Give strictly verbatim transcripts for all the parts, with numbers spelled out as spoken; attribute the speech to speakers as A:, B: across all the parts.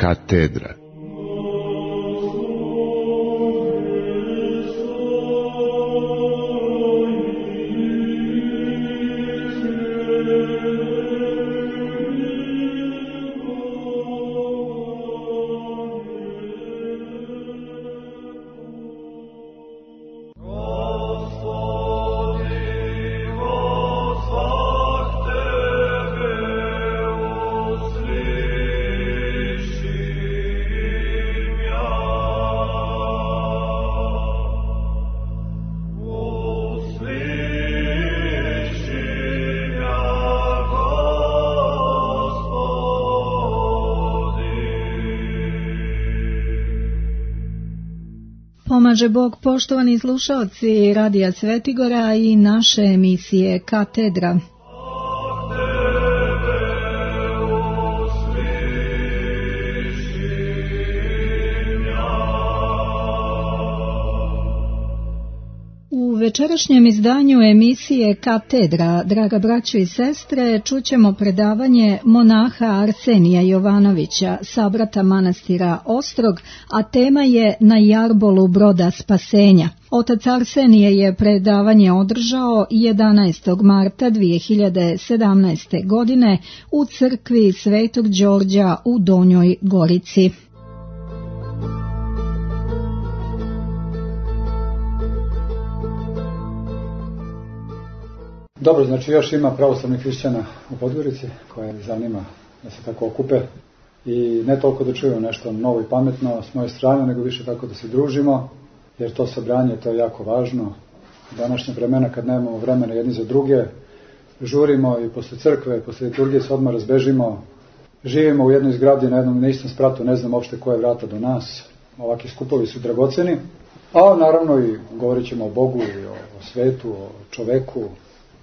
A: Katedra.
B: Pomaže Bog, poštovani slušaoci Radija Svetigora i naše emisije Katedra. U večerašnjem izdanju emisije Katedra, draga braćo i sestre, čućemo predavanje monaha Arsenija Jovanovića, sabrata manastira Ostrog, a tema je Na jarbolu broda spasenja. Otac Arsenije je predavanje održao jedanaestog marta dvije hiljade sedamnaeste. godine u crkvi Svetog Đorđa u Donjoj Gorici.
C: Dobro, znači još ima pravoslavnih hrišćana u Podgorici koje zanima da se tako okupe i ne toliko da čuju nešto novo i pametno s moje strane, nego više tako da se družimo, jer to sabranje, to je jako važno. Današnje vremena kad nemamo vremena jedni za druge, žurimo i posle crkve, posle liturgije se odmah razbežimo, živimo u jednoj zgradi na jednom na istom spratu, ne znam uopšte koje vrata do nas, ovakvi skupovi su dragoceni, a naravno i govorit ćemo o Bogu i o, o svetu, o čoveku,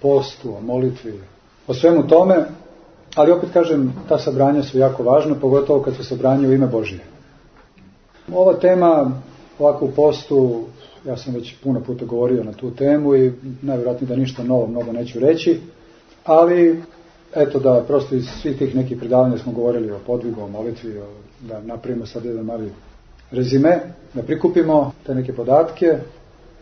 C: postu, o molitvi, o svemu tome, ali opet kažem, ta sabranja su jako važna, pogotovo kad su sabranje u ime Božije. Ova tema, ovako u postu, ja sam već puno puta govorio na tu temu i najvjerojatnije da ništa novo mnogo neću reći, ali eto da prosto iz svih tih nekih predavanja smo govorili o podvigu, o molitvi, o, da napravimo sad jedan mali rezime, da prikupimo te neke podatke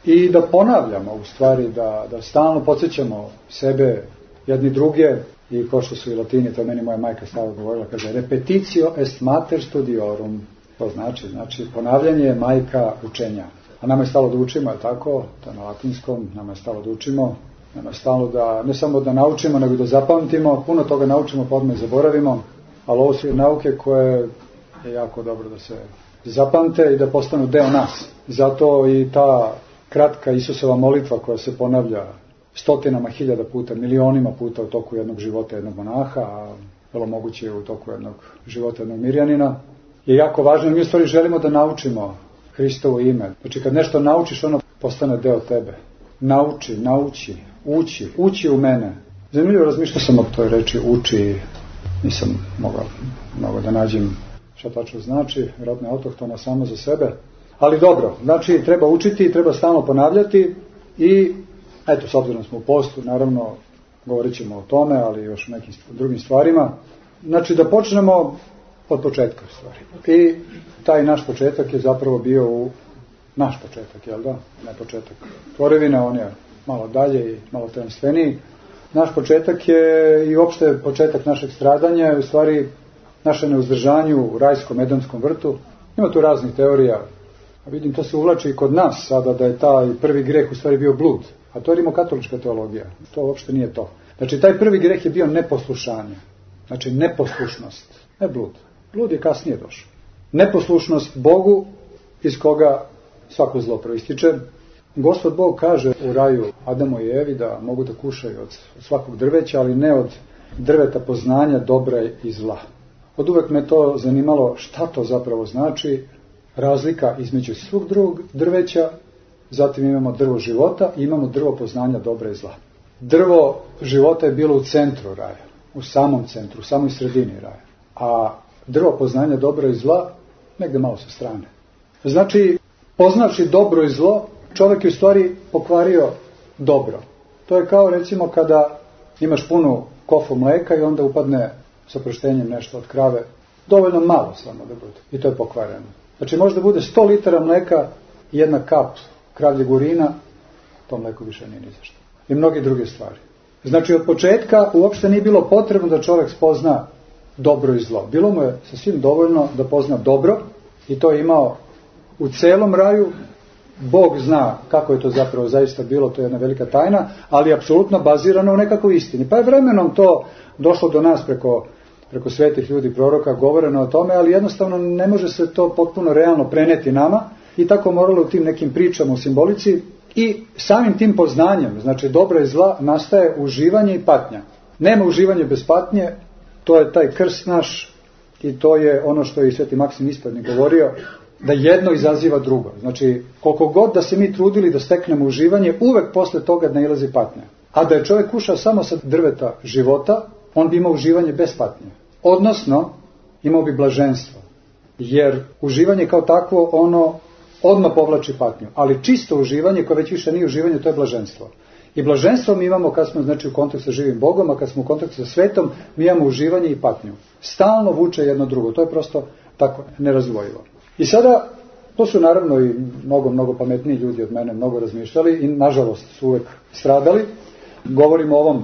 C: i da ponavljamo, u stvari, da, da stalno podsjećamo sebe, jedni druge, i ko što su i Latini, to meni moja majka stalno govorila, kaže, repetitio est mater studiorum, to znači, znači, ponavljanje je majka učenja. A nama je stalo da učimo, je tako, to je na latinskom, nama je stalo da učimo, nama je stalo da, ne samo da naučimo, nego da zapamtimo, puno toga naučimo, pa odmah zaboravimo, ali ovo su nauke koje je jako dobro da se zapamte i da postanu deo nas. Zato i ta kratka Isusova molitva koja se ponavlja stotinama hiljada puta, milionima puta u toku jednog života jednog monaha, a vrlo moguće u toku jednog života jednog mirjanina, je jako važno. Mi u stvari želimo da naučimo Hristovo ime. Znači kad nešto naučiš, ono postane deo tebe. Nauči, nauči, uči, uči u mene. Zanimljivo razmišljao sam o toj reči uči, nisam mogao mnogo da nađem šta tačno znači, vjerojatno je autohtona samo za sebe. Ali dobro, znači treba učiti, treba stalno ponavljati i eto, s obzirom smo u postu, naravno govorit ćemo o tome, ali još o nekim drugim stvarima. Znači da počnemo od početka stvari. I taj naš početak je zapravo bio u naš početak, jel da? Ne početak tvorevine, on je malo dalje i malo tajemstveniji. Naš početak je i uopšte početak našeg stradanja, u stvari naše neuzdržanje u rajskom edenskom vrtu. Ima tu raznih teorija. A vidim, to se uvlači i kod nas sada, da je taj prvi greh u stvari bio blud. A to je rimokatolička teologija. To uopšte nije to. Znači, taj prvi greh je bio neposlušanje. Znači, neposlušnost. Ne blud. Blud je kasnije došao. Neposlušnost Bogu, iz koga svako zlo proističe. Gospod Bog kaže u raju Adamu i Evi da mogu da kušaju od svakog drveća, ali ne od drveta poznanja dobra i zla. Od uvek me to zanimalo šta to zapravo znači, razlika između svog drugog drveća, zatim imamo drvo života i imamo drvo poznanja dobra i zla. Drvo života je bilo u centru raja, u samom centru, u samoj sredini raja, a drvo poznanja dobra i zla negde malo sa strane. Znači, poznavši dobro i zlo, čovjek je u stvari pokvario dobro. To je kao recimo kada imaš punu kofu mleka i onda upadne s oproštenjem nešto od krave Dovoljno malo samo da bude. I to je pokvareno. Znači može da bude sto litara mleka i jedna kap kravljeg urina, to mleko više nije ni za što. I mnogi druge stvari. Znači od početka uopšte nije bilo potrebno da čovjek spozna dobro i zlo. Bilo mu je sasvim dovoljno da pozna dobro i to je imao u celom raju. Bog zna kako je to zapravo zaista bilo, to je jedna velika tajna, ali je apsolutno bazirano u nekakvoj istini. Pa je vremenom to došlo do nas preko, preko svetih ljudi, proroka, govoreno o tome, ali jednostavno ne može se to potpuno realno preneti nama i tako moralo u tim nekim pričama u simbolici i samim tim poznanjem, znači dobra i zla, nastaje uživanje i patnja. Nema uživanja bez patnje, to je taj krst naš i to je ono što je i sveti Maksim Ispadnik govorio, da jedno izaziva drugo. Znači, koliko god da se mi trudili da steknemo uživanje, uvek posle toga nailazi patnja. A da je čovjek kušao samo sa drveta života, on bi imao uživanje bez patnje. Odnosno, imao bi blaženstvo. Jer uživanje kao takvo, ono odmah povlači patnju. Ali čisto uživanje, koje već više nije uživanje, to je blaženstvo. I blaženstvo mi imamo kad smo, znači, u kontaktu sa živim Bogom, a kad smo u kontaktu sa svetom, mi imamo uživanje i patnju. Stalno vuče jedno drugo. To je prosto tako nerazvojivo. I sada, to su naravno i mnogo, mnogo pametniji ljudi od mene, mnogo razmišljali i nažalost su uvek stradali. Govorimo o ovom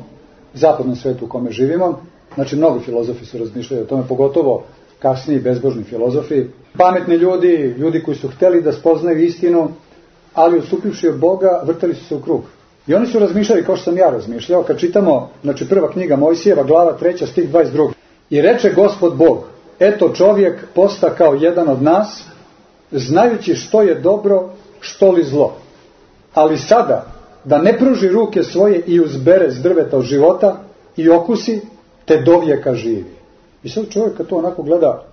C: zapadnom svetu u kome živimo. Znači, mnogo filozofi su razmišljali o tome, pogotovo kasniji bezbožni filozofi. Pametni ljudi, ljudi koji su hteli da spoznaju istinu, ali odstupivši od Boga, vrtali su se u krug. I oni su razmišljali kao što sam ja razmišljao, kad čitamo, znači prva knjiga Mojsijeva, glava treća, stih dvadeset dva. I reče Gospod Bog, eto čovjek posta kao jedan od nas, znajući što je dobro, što li zlo. Ali sada, da ne pruži ruke svoje i uzbere s drveta od života i okusi, te dovijeka živi. I sad čovjek kad to onako gleda,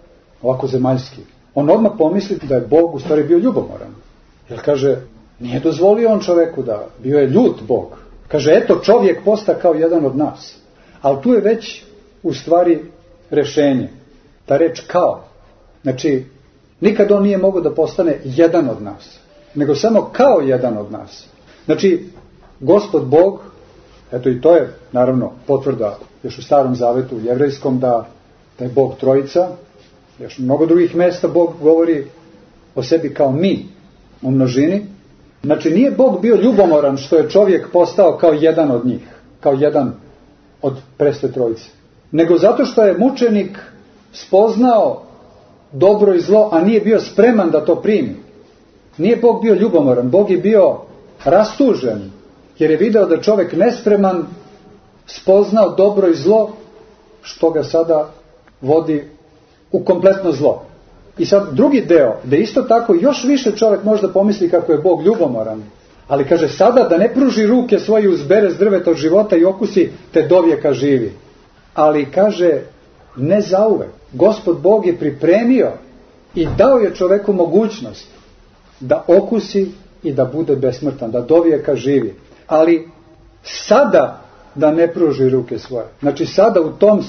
C: ovako zemaljski, on odmah pomisli da je Bog u stvari bio ljubomoran. Jer kaže, nije dozvolio on čovjeku da, bio je ljut Bog. Kaže, eto čovjek posta kao jedan od nas. Ali tu je već u stvari rešenje. Ta reč kao. Znači, nikad on nije mogao da postane jedan od nas, nego samo kao jedan od nas. Znači, Gospod Bog, eto i to je naravno potvrda još u Starom Zavetu, u jevrejskom, da, da je Bog trojica. Još mnogo drugih mesta Bog govori o sebi kao mi, u množini. Znači, nije Bog bio ljubomoran što je čovjek postao kao jedan od njih, kao jedan od preste trojice, nego zato što je mučenik spoznao dobro i zlo, a nije bio spreman da to primi. Nije Bog bio ljubomoran, Bog je bio rastužen, jer je video da čovjek nespreman spoznao dobro i zlo, što ga sada vodi u kompletno zlo. I sad drugi deo, da isto tako još više čovjek možda pomisli kako je Bog ljubomoran, ali kaže sada da ne pruži ruke svoje, uzbere s drveta od života i okusi, te dovijeka živi. Ali kaže, ne zauvek. Gospod Bog je pripremio i dao je čoveku mogućnost da okusi i da bude besmrtan, da dovijeka živi. Ali sada da ne pruži ruke svoje. Znači sada u tom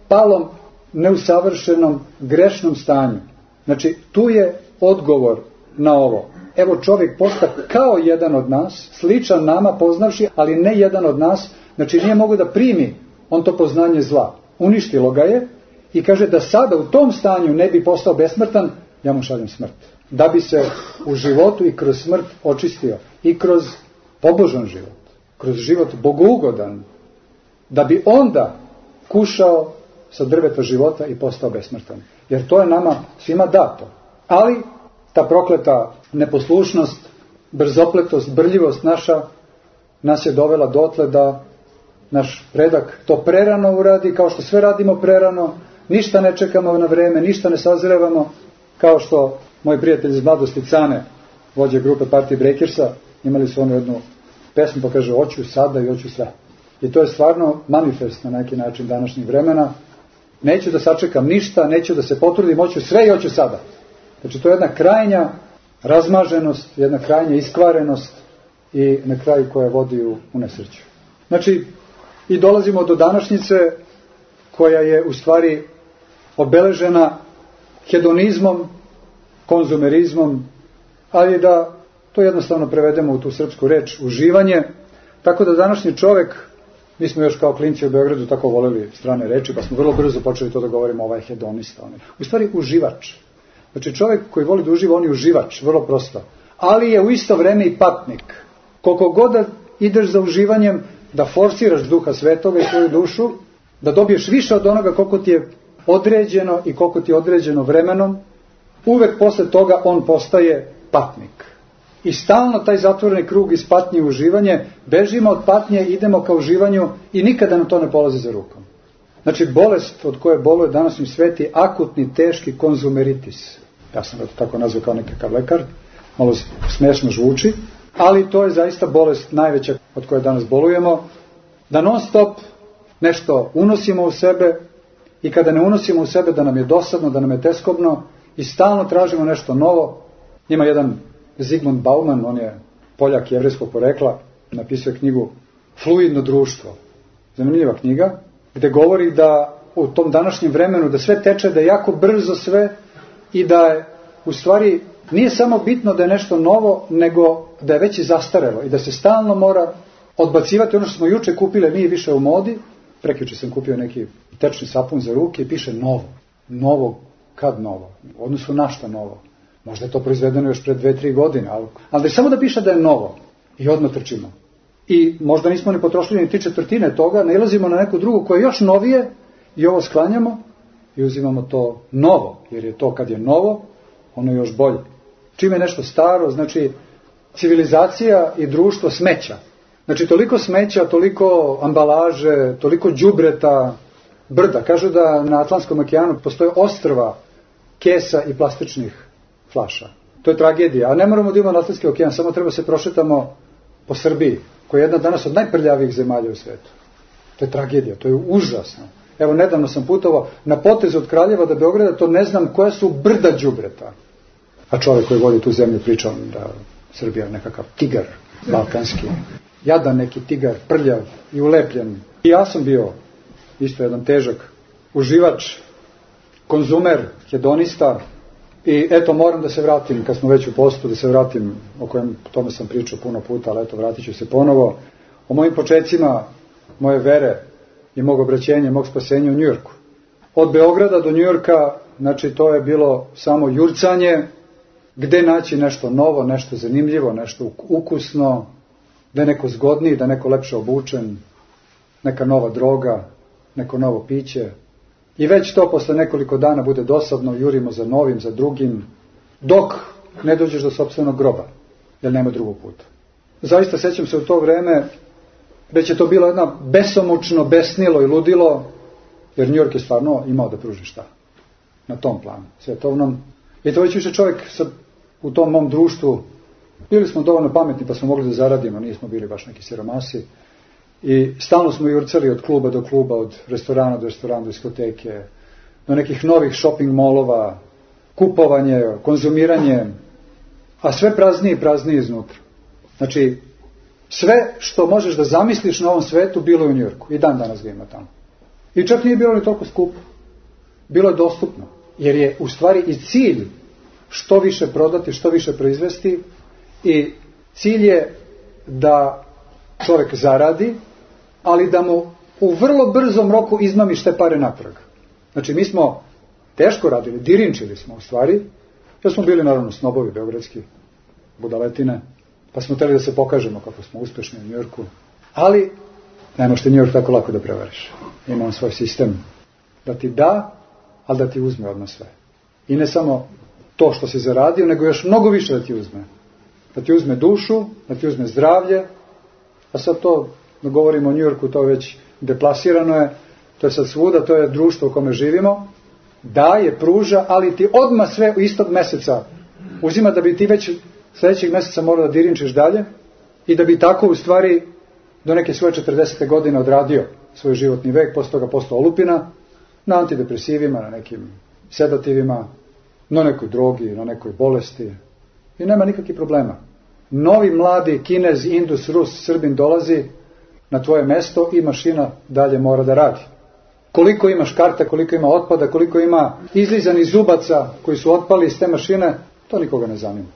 C: palom, neusavršenom, grešnom stanju. Znači tu je odgovor na ovo. Evo čovjek posta kao jedan od nas, sličan nama poznavši, ali ne jedan od nas. Znači nije mogao da primi on to poznanje zla. Uništilo ga je i kaže da sada u tom stanju ne bi postao besmrtan, ja mu šaljem smrt. Da bi se u životu i kroz smrt očistio. I kroz pobožan život. Kroz život bogougodan. Da bi onda kušao sa drveta života i postao besmrtan. Jer to je nama svima dato. Ali ta prokleta neposlušnost, brzopletost, brljivost naša nas je dovela dotle da naš predak to prerano uradi, kao što sve radimo prerano, ništa ne čekamo na vreme, ništa ne sazrevamo, kao što moj prijatelj iz mladosti Cane, vođe grupe Partije Breakersa, imali su onu jednu pesmu pa kaže hoću sada i hoću sve. I to je stvarno manifest na neki način današnjih vremena. Neću da sačekam ništa, neću da se potrudim, hoću sve i hoću sada. Znači to je jedna krajnja razmaženost, jedna krajnja iskvarenost i na kraju koja vodi u, u nesreću. Znači i dolazimo do današnjice koja je u stvari obeležena hedonizmom, konzumerizmom, ali da to jednostavno prevedemo u tu srpsku reč, uživanje. Tako da današnji čovjek Mi smo još kao klinci u Beogradu tako voleli strane reči, pa smo vrlo brzo počeli to da govorimo, ovaj hedonista. U stvari uživač. Znači čovjek koji voli da uživa, on je uživač, vrlo prosto. Ali je u isto vreme i patnik. Koliko god da ideš za uživanjem, da forsiraš duha svetoga i svoju dušu, da dobiješ više od onoga koliko ti je određeno i koliko ti je određeno vremenom, uvek posle toga on postaje patnik. I stalno taj zatvoreni krug iz patnje u uživanje, bežimo od patnje, idemo ka uživanju i nikada nam to ne polazi za rukom. Znači bolest od koje boluje današnji svet je akutni, teški konzumeritis. Ja sam ga to tako nazvao kao nekakav lekar, malo smiješno zvuči, ali to je zaista bolest najveća od koje danas bolujemo, da non stop nešto unosimo u sebe i kada ne unosimo u sebe da nam je dosadno, da nam je teskobno i stalno tražimo nešto novo. Ima jedan Zygmunt Bauman, on je Poljak jevrejskog porekla, napisao je knjigu Fluidno društvo. Zanimljiva knjiga, gde govori da u tom današnjem vremenu da sve teče, da je jako brzo sve i da je u stvari nije samo bitno da je nešto novo, nego da je već i zastarelo i da se stalno mora odbacivati ono što smo juče kupili, nije više u modi. Prekjuče sam kupio neki tečni sapun za ruke i piše novo. Novo, kad novo? U odnosu na šta novo? Možda je to proizvedeno još pred dve, tri godine, ali, ali da je samo da piše da je novo i odmah trčimo. I možda nismo ni potrošili ni tri četvrtine toga, nailazimo na neku drugu koja je još novije i ovo sklanjamo i uzimamo to novo, jer je to kad je novo, ono je još bolje. Čim je nešto staro, znači civilizacija i društvo smeća. Znači toliko smeća, toliko ambalaže, toliko đubreta, brda. Kažu da na Atlantskom okeanu postoje ostrva kesa i plastičnih flaša. To je tragedija. A ne moramo da imamo na Atlantski okean, samo treba se prošetamo po Srbiji, koja je jedna danas od najprljavijih zemalja u svetu. To je tragedija, to je užasno. Evo, nedavno sam putovao na potezu od Kraljeva do Beograda, to ne znam koja su brda đubreta. A čovjek koji vodi tu zemlju pričao da Srbija je nekakav tigar balkanski. Jadan neki tigar, prljav i ulepljen. I ja sam bio isto jedan težak uživač, konzumer, hedonista. I eto, moram da se vratim, kad smo već u postu, da se vratim, o kojem tome sam pričao puno puta, ali eto, vratit ću se ponovo, o mojim počecima, moje vere i mog obraćenja, mog spasenja u Njujorku. Od Beograda do Njujorka, znači to je bilo samo jurcanje, gde naći nešto novo, nešto zanimljivo, nešto ukusno, da je neko zgodniji, da je neko lepše obučen, neka nova droga, neko novo piće. I već to posle nekoliko dana bude dosadno, jurimo za novim, za drugim, dok ne dođeš do sopstvenog groba, jer nema drugog puta. Zaista sećam se u to vreme, već je to bilo jedno besomučno, besnilo i ludilo, jer New York je stvarno imao da pruži šta na tom planu, svetovnom. I to već više čovjek sa, u tom mom društvu, bili smo dovoljno pametni pa smo mogli da zaradimo, nismo bili baš neki siromasi. I stalno smo jurcali od kluba do kluba, od restorana do restorana, do diskoteke, do nekih novih shopping molova, kupovanje, konzumiranje, a sve praznije i praznije iznutra. Znači, sve što možeš da zamisliš na ovom svetu bilo je u Njujorku. I dan danas ga ima tamo. I čak nije bilo ni toliko skupo. Bilo je dostupno. Jer je u stvari i cilj što više prodati, što više proizvesti. I cilj je da čovjek zaradi, ali da mu u vrlo brzom roku izmamiš te pare natrag. Znači, mi smo teško radili, dirinčili smo u stvari, jer smo bili naravno snobovi beogradski, budaletine, pa smo hteli da se pokažemo kako smo uspešni u Njujorku, ali ne možete Njujork tako lako da prevariš. Ima on svoj sistem da ti da, ali da ti uzme odmah sve. I ne samo to što si zaradio, nego još mnogo više da ti uzme. Da ti uzme dušu, da ti uzme zdravlje, a sad to, da govorimo o Njujorku, to već deplasirano je, to je sad svuda, to je društvo u kome živimo, daje, pruža, ali ti odmah sve u istog meseca uzima da bi ti već sljedećeg meseca morao da dirinčiš dalje i da bi tako u stvari do neke svoje četrdesete godine odradio svoj životni vek, posle toga postao olupina, na antidepresivima, na nekim sedativima, na nekoj drogi, na nekoj bolesti i nema nikakvih problema. Novi mladi Kinez, Indus, Rus, Srbin dolazi na tvoje mesto i mašina dalje mora da radi. Koliko imaš karta, koliko ima otpada, koliko ima izlizanih zubaca koji su otpali iz te mašine, to nikoga ne zanima.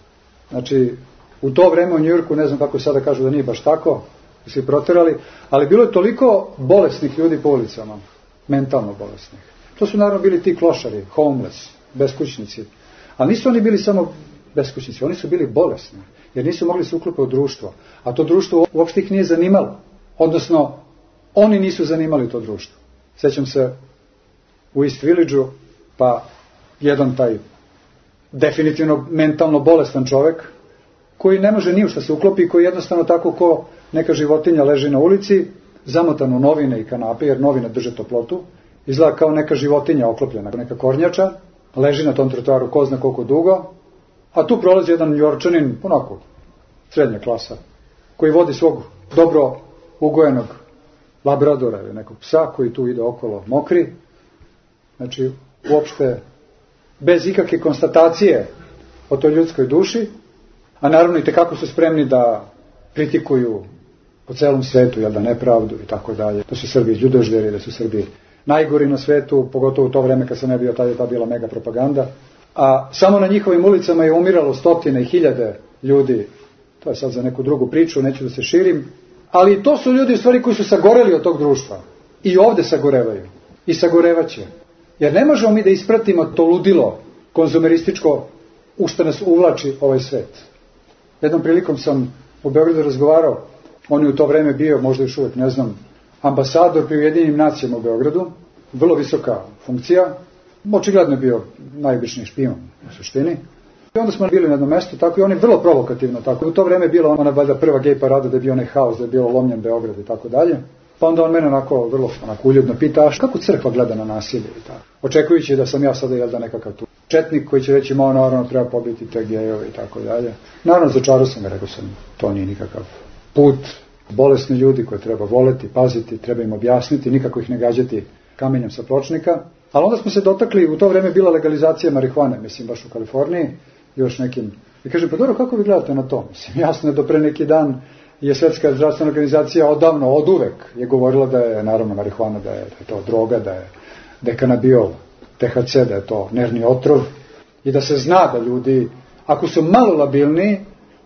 C: Znači, u to vreme u Njujorku, ne znam kako sada kažu da nije baš tako, su se proterali, ali bilo je toliko bolesnih ljudi po ulicama, mentalno bolesnih. To su naravno bili ti klošari, homeless, beskućnici. Ali nisu oni bili samo beskućnici, oni su bili bolesni, jer nisu mogli se uklopiti u društvo. A to društvo uopšte ih nije zanimalo. Odnosno, oni nisu zanimali to društvo. Sjećam se u East Village-u, pa jedan taj definitivno mentalno bolestan čovek, koji ne može ni u šta se uklopi, koji jednostavno tako ko neka životinja leži na ulici, zamotan u novine i kanape, jer novine drže toplotu, izgleda kao neka životinja oklopljena, neka kornjača, leži na tom trotoaru ko zna koliko dugo, a tu prolazi jedan Njorčanin, onako, srednja klasa, koji vodi svog dobro ugojenog labradora ili nekog psa koji tu ide okolo mokri, znači uopšte bez ikakve konstatacije o toj ljudskoj duši, a naravno i tekako su spremni da kritikuju po celom svetu, jel da, nepravdu i tako dalje. Da su Srbi ljudožderi, da su Srbi najgori na svetu, pogotovo u to vreme kad sam ne bio, tada je ta bila mega propaganda. A samo na njihovim ulicama je umiralo stotine i hiljade ljudi. To je sad za neku drugu priču, neću da se širim. Ali to su ljudi u stvari koji su sagoreli od tog društva. I ovde sagorevaju. I sagorevaće. Jer ne možemo mi da ispratimo to ludilo konzumerističko u što nas uvlači ovaj svet. Jednom prilikom sam u Beogradu razgovarao, on je u to vreme bio, možda još uvek ne znam, ambasador pri Ujedinjenim nacijama u Beogradu, vrlo visoka funkcija, očigledno je bio najobičniji špijun u suštini. I onda smo bili na jednom mestu, tako i on je vrlo provokativno, tako. U to vreme je bila ona valjda prva gej parada, da je bio onaj haos, da je bilo lomljen Beograd i tako dalje. Pa onda on mene onako vrlo onako uljudno pita, a kako crkva gleda na nasilje i tako. Očekujući da sam ja sada jel da nekakav tu četnik koji će reći, mao naravno treba pobiti te gejove i tako dalje. Naravno začarao sam ga, rekao sam, to nije nikakav put. Bolesni ljudi koje treba voleti, paziti, treba im objasniti, nikako ih ne gađati kamenjem sa pločnika. Ali onda smo se dotakli, u to vreme bila legalizacija marihuane, mislim baš u Kaliforniji, još nekim. I kaže, pa dobro, kako vi gledate na to? Mislim, jasno je do pre neki dan je Svetska zdravstvena organizacija odavno, od uvek je govorila da je, naravno, marihuana, da je, da je to droga, da je, da je kanabiol, T H C, da je to nervni otrov i da se zna da ljudi, ako su malo labilni,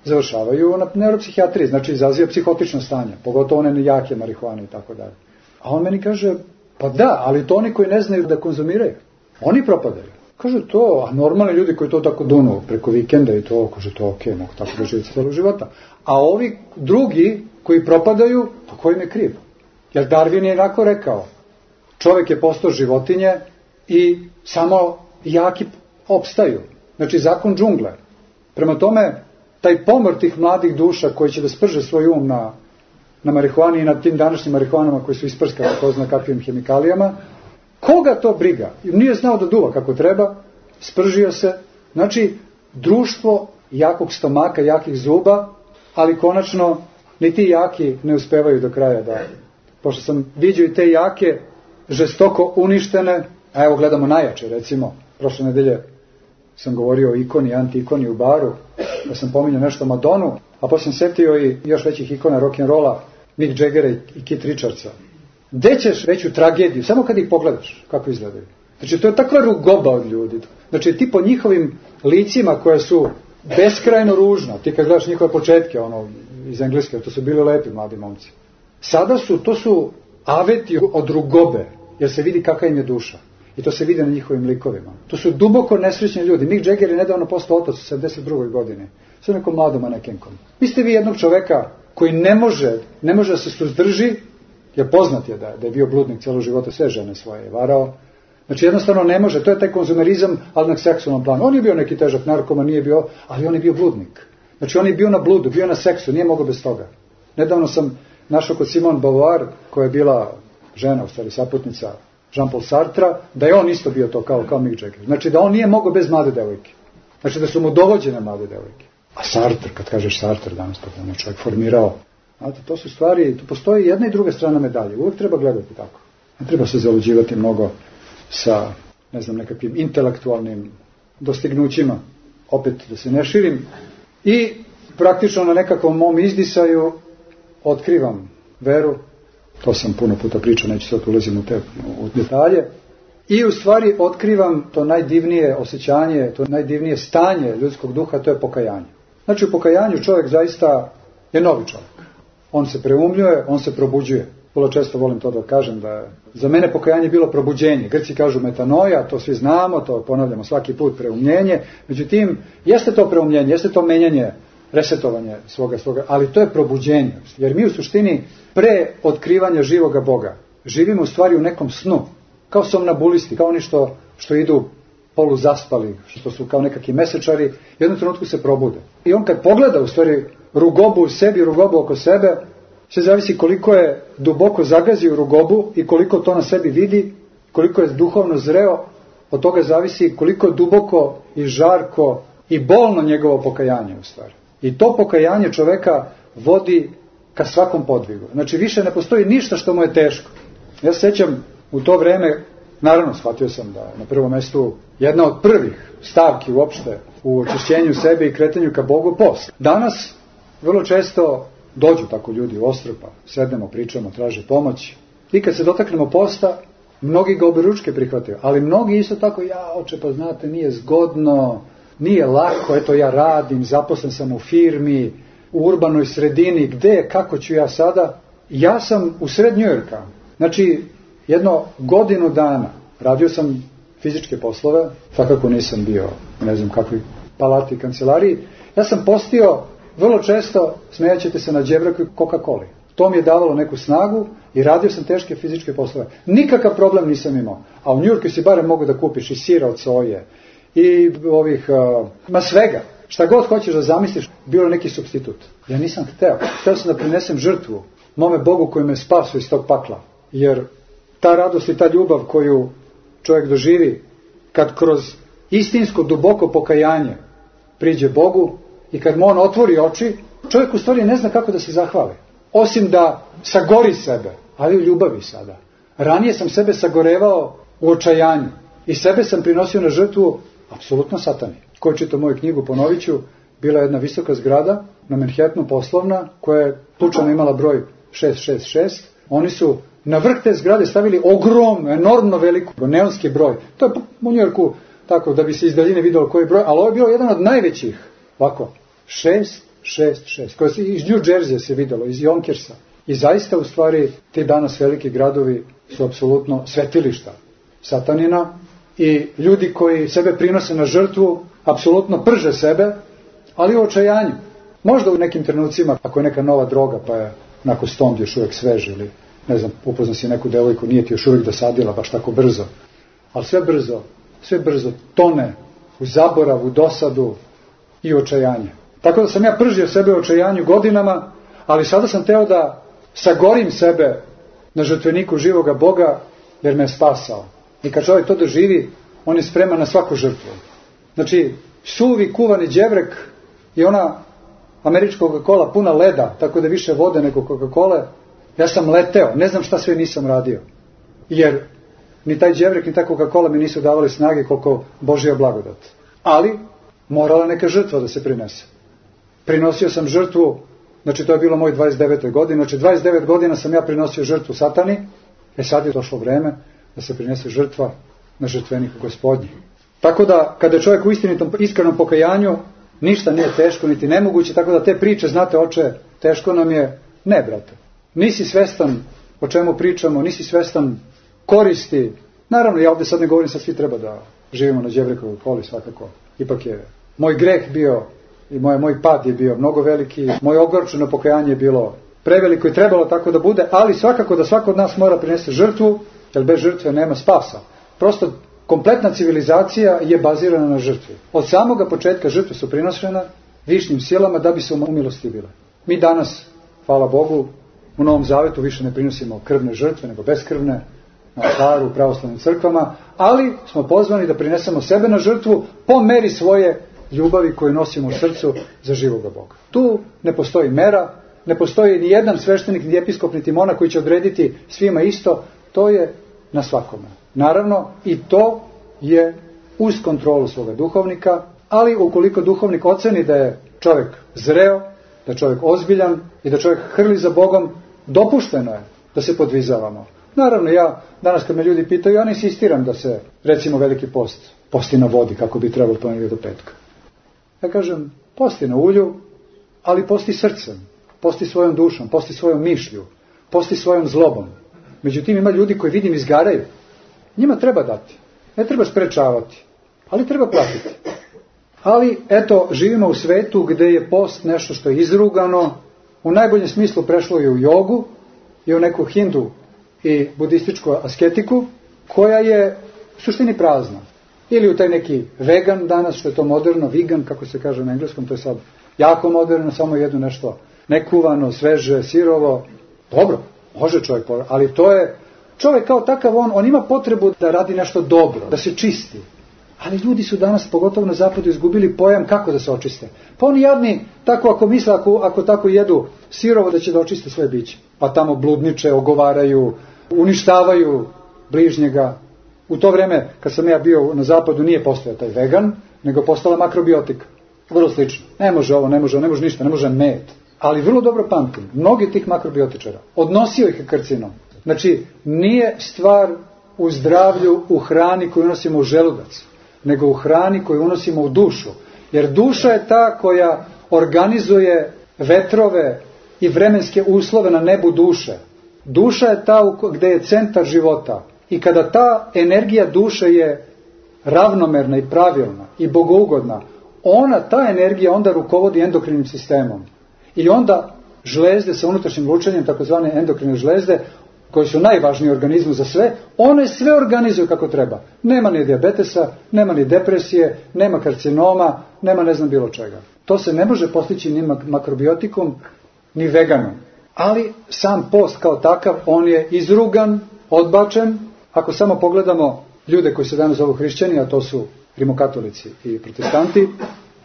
C: završavaju na neuropsihijatriji, znači izaziva psihotično stanje, pogotovo one jake marihuane i tako dalje. A on meni kaže, pa da, ali to oni koji ne znaju da konzumiraju, oni propadaju. Kaže to, a normalni ljudi koji to tako dunu preko vikenda i to, kaže to ok, mogu tako da živiti celog života. A ovi drugi koji propadaju, pa ko im je kriv? Jer Darwin je onako rekao, čovjek je postao životinje i samo jaki opstaju. Znači zakon džungle. Prema tome, taj pomor tih mladih duša koji će da sprže svoj um na, na marihuani i na tim današnjim marihuanama koji su isprskali ko zna kakvim hemikalijama, koga to briga? Nije znao da duva kako treba, spržio se. Znači, društvo jakog stomaka, jakih zuba, ali konačno ni ti jaki ne uspevaju do kraja da... Pošto sam vidio i te jake žestoko uništene, a evo gledamo najjače, recimo, prošle nedelje sam govorio o ikoni, anti-ikoni u baru, da sam pominjao nešto Madonu, a posle sam setio i još većih ikona rock'n'rolla, Mick Jaggera i Keith Richardsa. Gde ćeš veću tragediju, samo kad ih pogledaš, kako izgledaju. Znači, to je takva rugoba od ljudi. Znači, ti po njihovim licima koje su beskrajno ružna, ti kad gledaš njihove početke, ono, iz engleske, to su bili lepi mladi momci. Sada su, to su aveti od rugobe, jer se vidi kakva im je duša. I to se vidi na njihovim likovima. To su duboko nesrećni ljudi. Mick Jagger je nedavno postao otac u sedamdeset drugoj godini. Sa nekom mladom manekenkom. Mislite vi jednog čoveka koji ne može, ne može da se suzdrži, jer poznat je da, da je bio bludnik cijelo života, sve žene svoje je varao. Znači jednostavno ne može, to je taj konzumerizam, ali na seksualnom planu. On je bio neki težak narkoman, nije bio, ali on je bio bludnik. Znači on je bio na bludu, bio na seksu, nije mogao bez toga. Nedavno sam našao kod Simone Beauvoir, koja je bila žena, u stvari saputnica Jean-Paul Sartra, da je on isto bio to kao, kao Mick Jagger. Znači da on nije mogao bez mlade devojke. Znači da su mu dovođene mlade devojke. A Sartre, kad kažeš Sartre danas, tako on je čovjek formirao. Znate, to su stvari, tu postoji jedna i druga strana medalje. Uvijek treba gledati tako. Ne treba se zaluđivati mnogo sa, ne znam, nekakvim intelektualnim dostignućima. Opet da se ne širim. I praktično na nekakvom mom izdisaju otkrivam veru. To sam puno puta pričao, neću sad ulazim u te u detalje. I u stvari otkrivam to najdivnije osjećanje, to najdivnije stanje ljudskog duha, to je pokajanje. Znači u pokajanju čovjek zaista je novi čovjek. on se preumljuje, on se probuđuje. Vrlo često volim to da kažem, da je za mene pokajanje bilo probuđenje. Grci kažu metanoja, to svi znamo, to ponavljamo svaki put, preumljenje. Međutim, jeste to preumljenje, jeste to menjanje, resetovanje svoga, svoga, ali to je probuđenje. Jer mi u suštini pre otkrivanja živoga Boga živimo u stvari u nekom snu, kao somnabulisti, kao oni što, što idu poluzaspali, što su kao nekakvi mesečari, u jednom trenutku se probude. I on kad pogleda u stvari rugobu u sebi, rugobu oko sebe, sve zavisi koliko je duboko zagazio rugobu i koliko to na sebi vidi, koliko je duhovno zreo, od toga zavisi koliko je duboko i žarko i bolno njegovo pokajanje u stvari. I to pokajanje čoveka vodi ka svakom podvigu. Znači više ne postoji ništa što mu je teško. Ja se sjećam u to vreme, naravno shvatio sam da na prvom mjestu jedna od prvih stavki uopšte u očišćenju sebe i kretanju ka Bogu post. Danas vrlo često dođu tako ljudi u Ostrpa, sednemo, pričamo, traže pomoć. I kad se dotaknemo posta, mnogi ga oberučke prihvataju, ali mnogi isto tako, ja oče, pa znate, nije zgodno, nije lako, eto ja radim, zaposlen sam u firmi, u urbanoj sredini, gde, kako ću ja sada? Ja sam u sred Njujorka, znači jedno godinu dana radio sam fizičke poslove, svakako nisam bio, ne znam kakvi palati, kancelariji, ja sam postio vrlo često, smejaćete se, na đevraku i Coca-Coli. To mi je davalo neku snagu i radio sam teške fizičke poslove. Nikakav problem nisam imao. A u Njujorku si barem mogu da kupiš i sira od soje i ovih, uh, ma svega. Šta god hoćeš da zamisliš, bilo neki supstitut. Ja nisam hteo. Hteo sam da prinesem žrtvu mome Bogu koji me spasio iz tog pakla. Jer ta radost i ta ljubav koju čovjek doživi kad kroz istinsko duboko pokajanje priđe Bogu i kad mu on otvori oči, čovjek u stvari ne zna kako da se zahvali. Osim da sagori sebe, ali u ljubavi sada. Ranije sam sebe sagorevao u očajanju i sebe sam prinosio na žrtvu apsolutno satani. Ko je čitao moju knjigu, ponovit ću, bila je jedna visoka zgrada na Manhattanu, poslovna, koja je slučajno imala broj šest šest šest. Oni su na vrh te zgrade stavili ogromno, enormno veliku, neonski broj. To je u Njujorku tako da bi se iz daljine vidjelo koji broj, ali ovo je bio jedan od najvećih. Ovako, šest šest šest, koje se iz New Jersey se vidjelo, iz Jonkersa. I zaista u stvari ti danas veliki gradovi su apsolutno svetilišta satanina i ljudi koji sebe prinose na žrtvu apsolutno prže sebe, ali u očajanju. Možda u nekim trenucima, ako je neka nova droga pa je onako stond još uvijek svež ili ne znam, upozna si neku devojku, nije ti još uvijek dosadila baš tako brzo. Ali sve brzo, sve brzo tone u zaborav, u dosadu i očajanje. Tako da sam ja pržio sebe u očajanju godinama, ali sada sam teo da sagorim sebe na žrtveniku živoga Boga, jer me je spasao. I kad čovjek to doživi, on je spreman na svaku žrtvu. Znači, suvi kuvani đevrek i ona američka Coca-Cola puna leda, tako da više vode nego Coca-Cola, ja sam leteo, ne znam šta sve nisam radio. Jer ni taj đevrek, ni ta Coca-Cola mi nisu davali snage koliko Božja blagodat. Ali, morala neka žrtva da se prinese. Prinosio sam žrtvu, znači to je bilo moj dvadeset devete godine, znači dvadeset devet godina sam ja prinosio žrtvu satani, e sad je došlo vreme da se prinese žrtva na žrtveniku Gospodnji. Tako da, kada je čovjek u istinitom, iskrenom pokajanju, ništa nije teško, niti nemoguće, tako da te priče, znate oče, teško nam je, ne brate. Nisi svestan o čemu pričamo, nisi svestan koristi. Naravno, ja ovdje sad ne govorim, sad svi treba da živimo na đevrekovoj koli, svakako. Ipak je moj greh bio i moj, moj pad je bio mnogo veliki, moje ogorčeno pokajanje je bilo preveliko i trebalo tako da bude, ali svakako da svako od nas mora prinesti žrtvu, jer bez žrtve nema spasa. Prosto kompletna civilizacija je bazirana na žrtvi. Od samoga početka žrtve su prinošene višnjim silama da bi se umilostivile. Mi danas, hvala Bogu, u Novom Zavetu više ne prinosimo krvne žrtve, nego beskrvne, na oltaru, u pravoslavnim crkvama, ali smo pozvani da prinesemo sebe na žrtvu po meri svoje ljubavi koju nosimo u srcu za živoga Boga. Tu ne postoji mera, ne postoji ni jedan sveštenik, ni episkop, niti monah koji će odrediti svima isto, to je na svakome. Naravno, i to je uz kontrolu svoga duhovnika, ali ukoliko duhovnik oceni da je čovjek zreo, da je čovjek ozbiljan i da čovjek hrli za Bogom, dopušteno je da se podvizavamo. Naravno, ja danas kad me ljudi pitaju, ja ne insistiram da se, recimo, veliki post posti na vodi, kako bi trebalo ponedjeljka do petka. Ja kažem, posti na ulju, ali posti srcem. posti svojom dušom, posti svojom mišlju, posti svojom zlobom. Međutim, ima ljudi koji vidim izgaraju. Njima treba dati. Ne treba sprečavati, ali treba platiti. Ali, eto, živimo u svetu gde je post nešto što je izrugano, u najboljem smislu prešlo je u jogu i u neku hindu i budističku asketiku, koja je u suštini prazna. Ili u taj neki vegan danas, što je to moderno, vegan, kako se kaže na engleskom, to je sad jako moderno, samo jedno nešto nekuvano, sveže, sirovo. Dobro, može čovjek, ali to je, čovjek kao takav, on, on ima potrebu da radi nešto dobro, da se čisti. Ali ljudi su danas, pogotovo na zapadu, izgubili pojam kako da se očiste. Pa oni jadni, tako ako misle, ako, ako tako jedu sirovo, da će da očiste svoje biće. Pa tamo bludniče, ogovaraju, uništavaju bližnjega. U to vreme, kad sam ja bio na zapadu, nije postojao taj vegan, nego postala makrobiotika. Vrlo slično. Ne može ovo, ne može, ne može ništa, ne može med. Ali vrlo dobro pamtim, mnogi tih makrobiotičara, odnosio ih karcinom. Znači, nije stvar u zdravlju, u hrani koju unosimo u želudac, nego u hrani koju unosimo u dušu. Jer duša je ta koja organizuje vetrove i vremenske uslove na nebu duše. Duša je ta gde je centar života. I kada ta energija duše je ravnomerna i pravilna i bogougodna, ona, ta energija onda rukovodi endokrinim sistemom. I onda žlezde sa unutrašnjim lučenjem, takozvane endokrine žlezde, koji su najvažniji u organizmu za sve, one sve organizuju kako treba. Nema ni dijabetesa, nema ni depresije, nema karcinoma, nema ne znam bilo čega. To se ne može postići ni makrobiotikom, ni veganom. Ali sam post kao takav, on je izrugan, odbačen. Ako samo pogledamo ljude koji se danas zovu hrišćani, a to su rimokatolici i protestanti,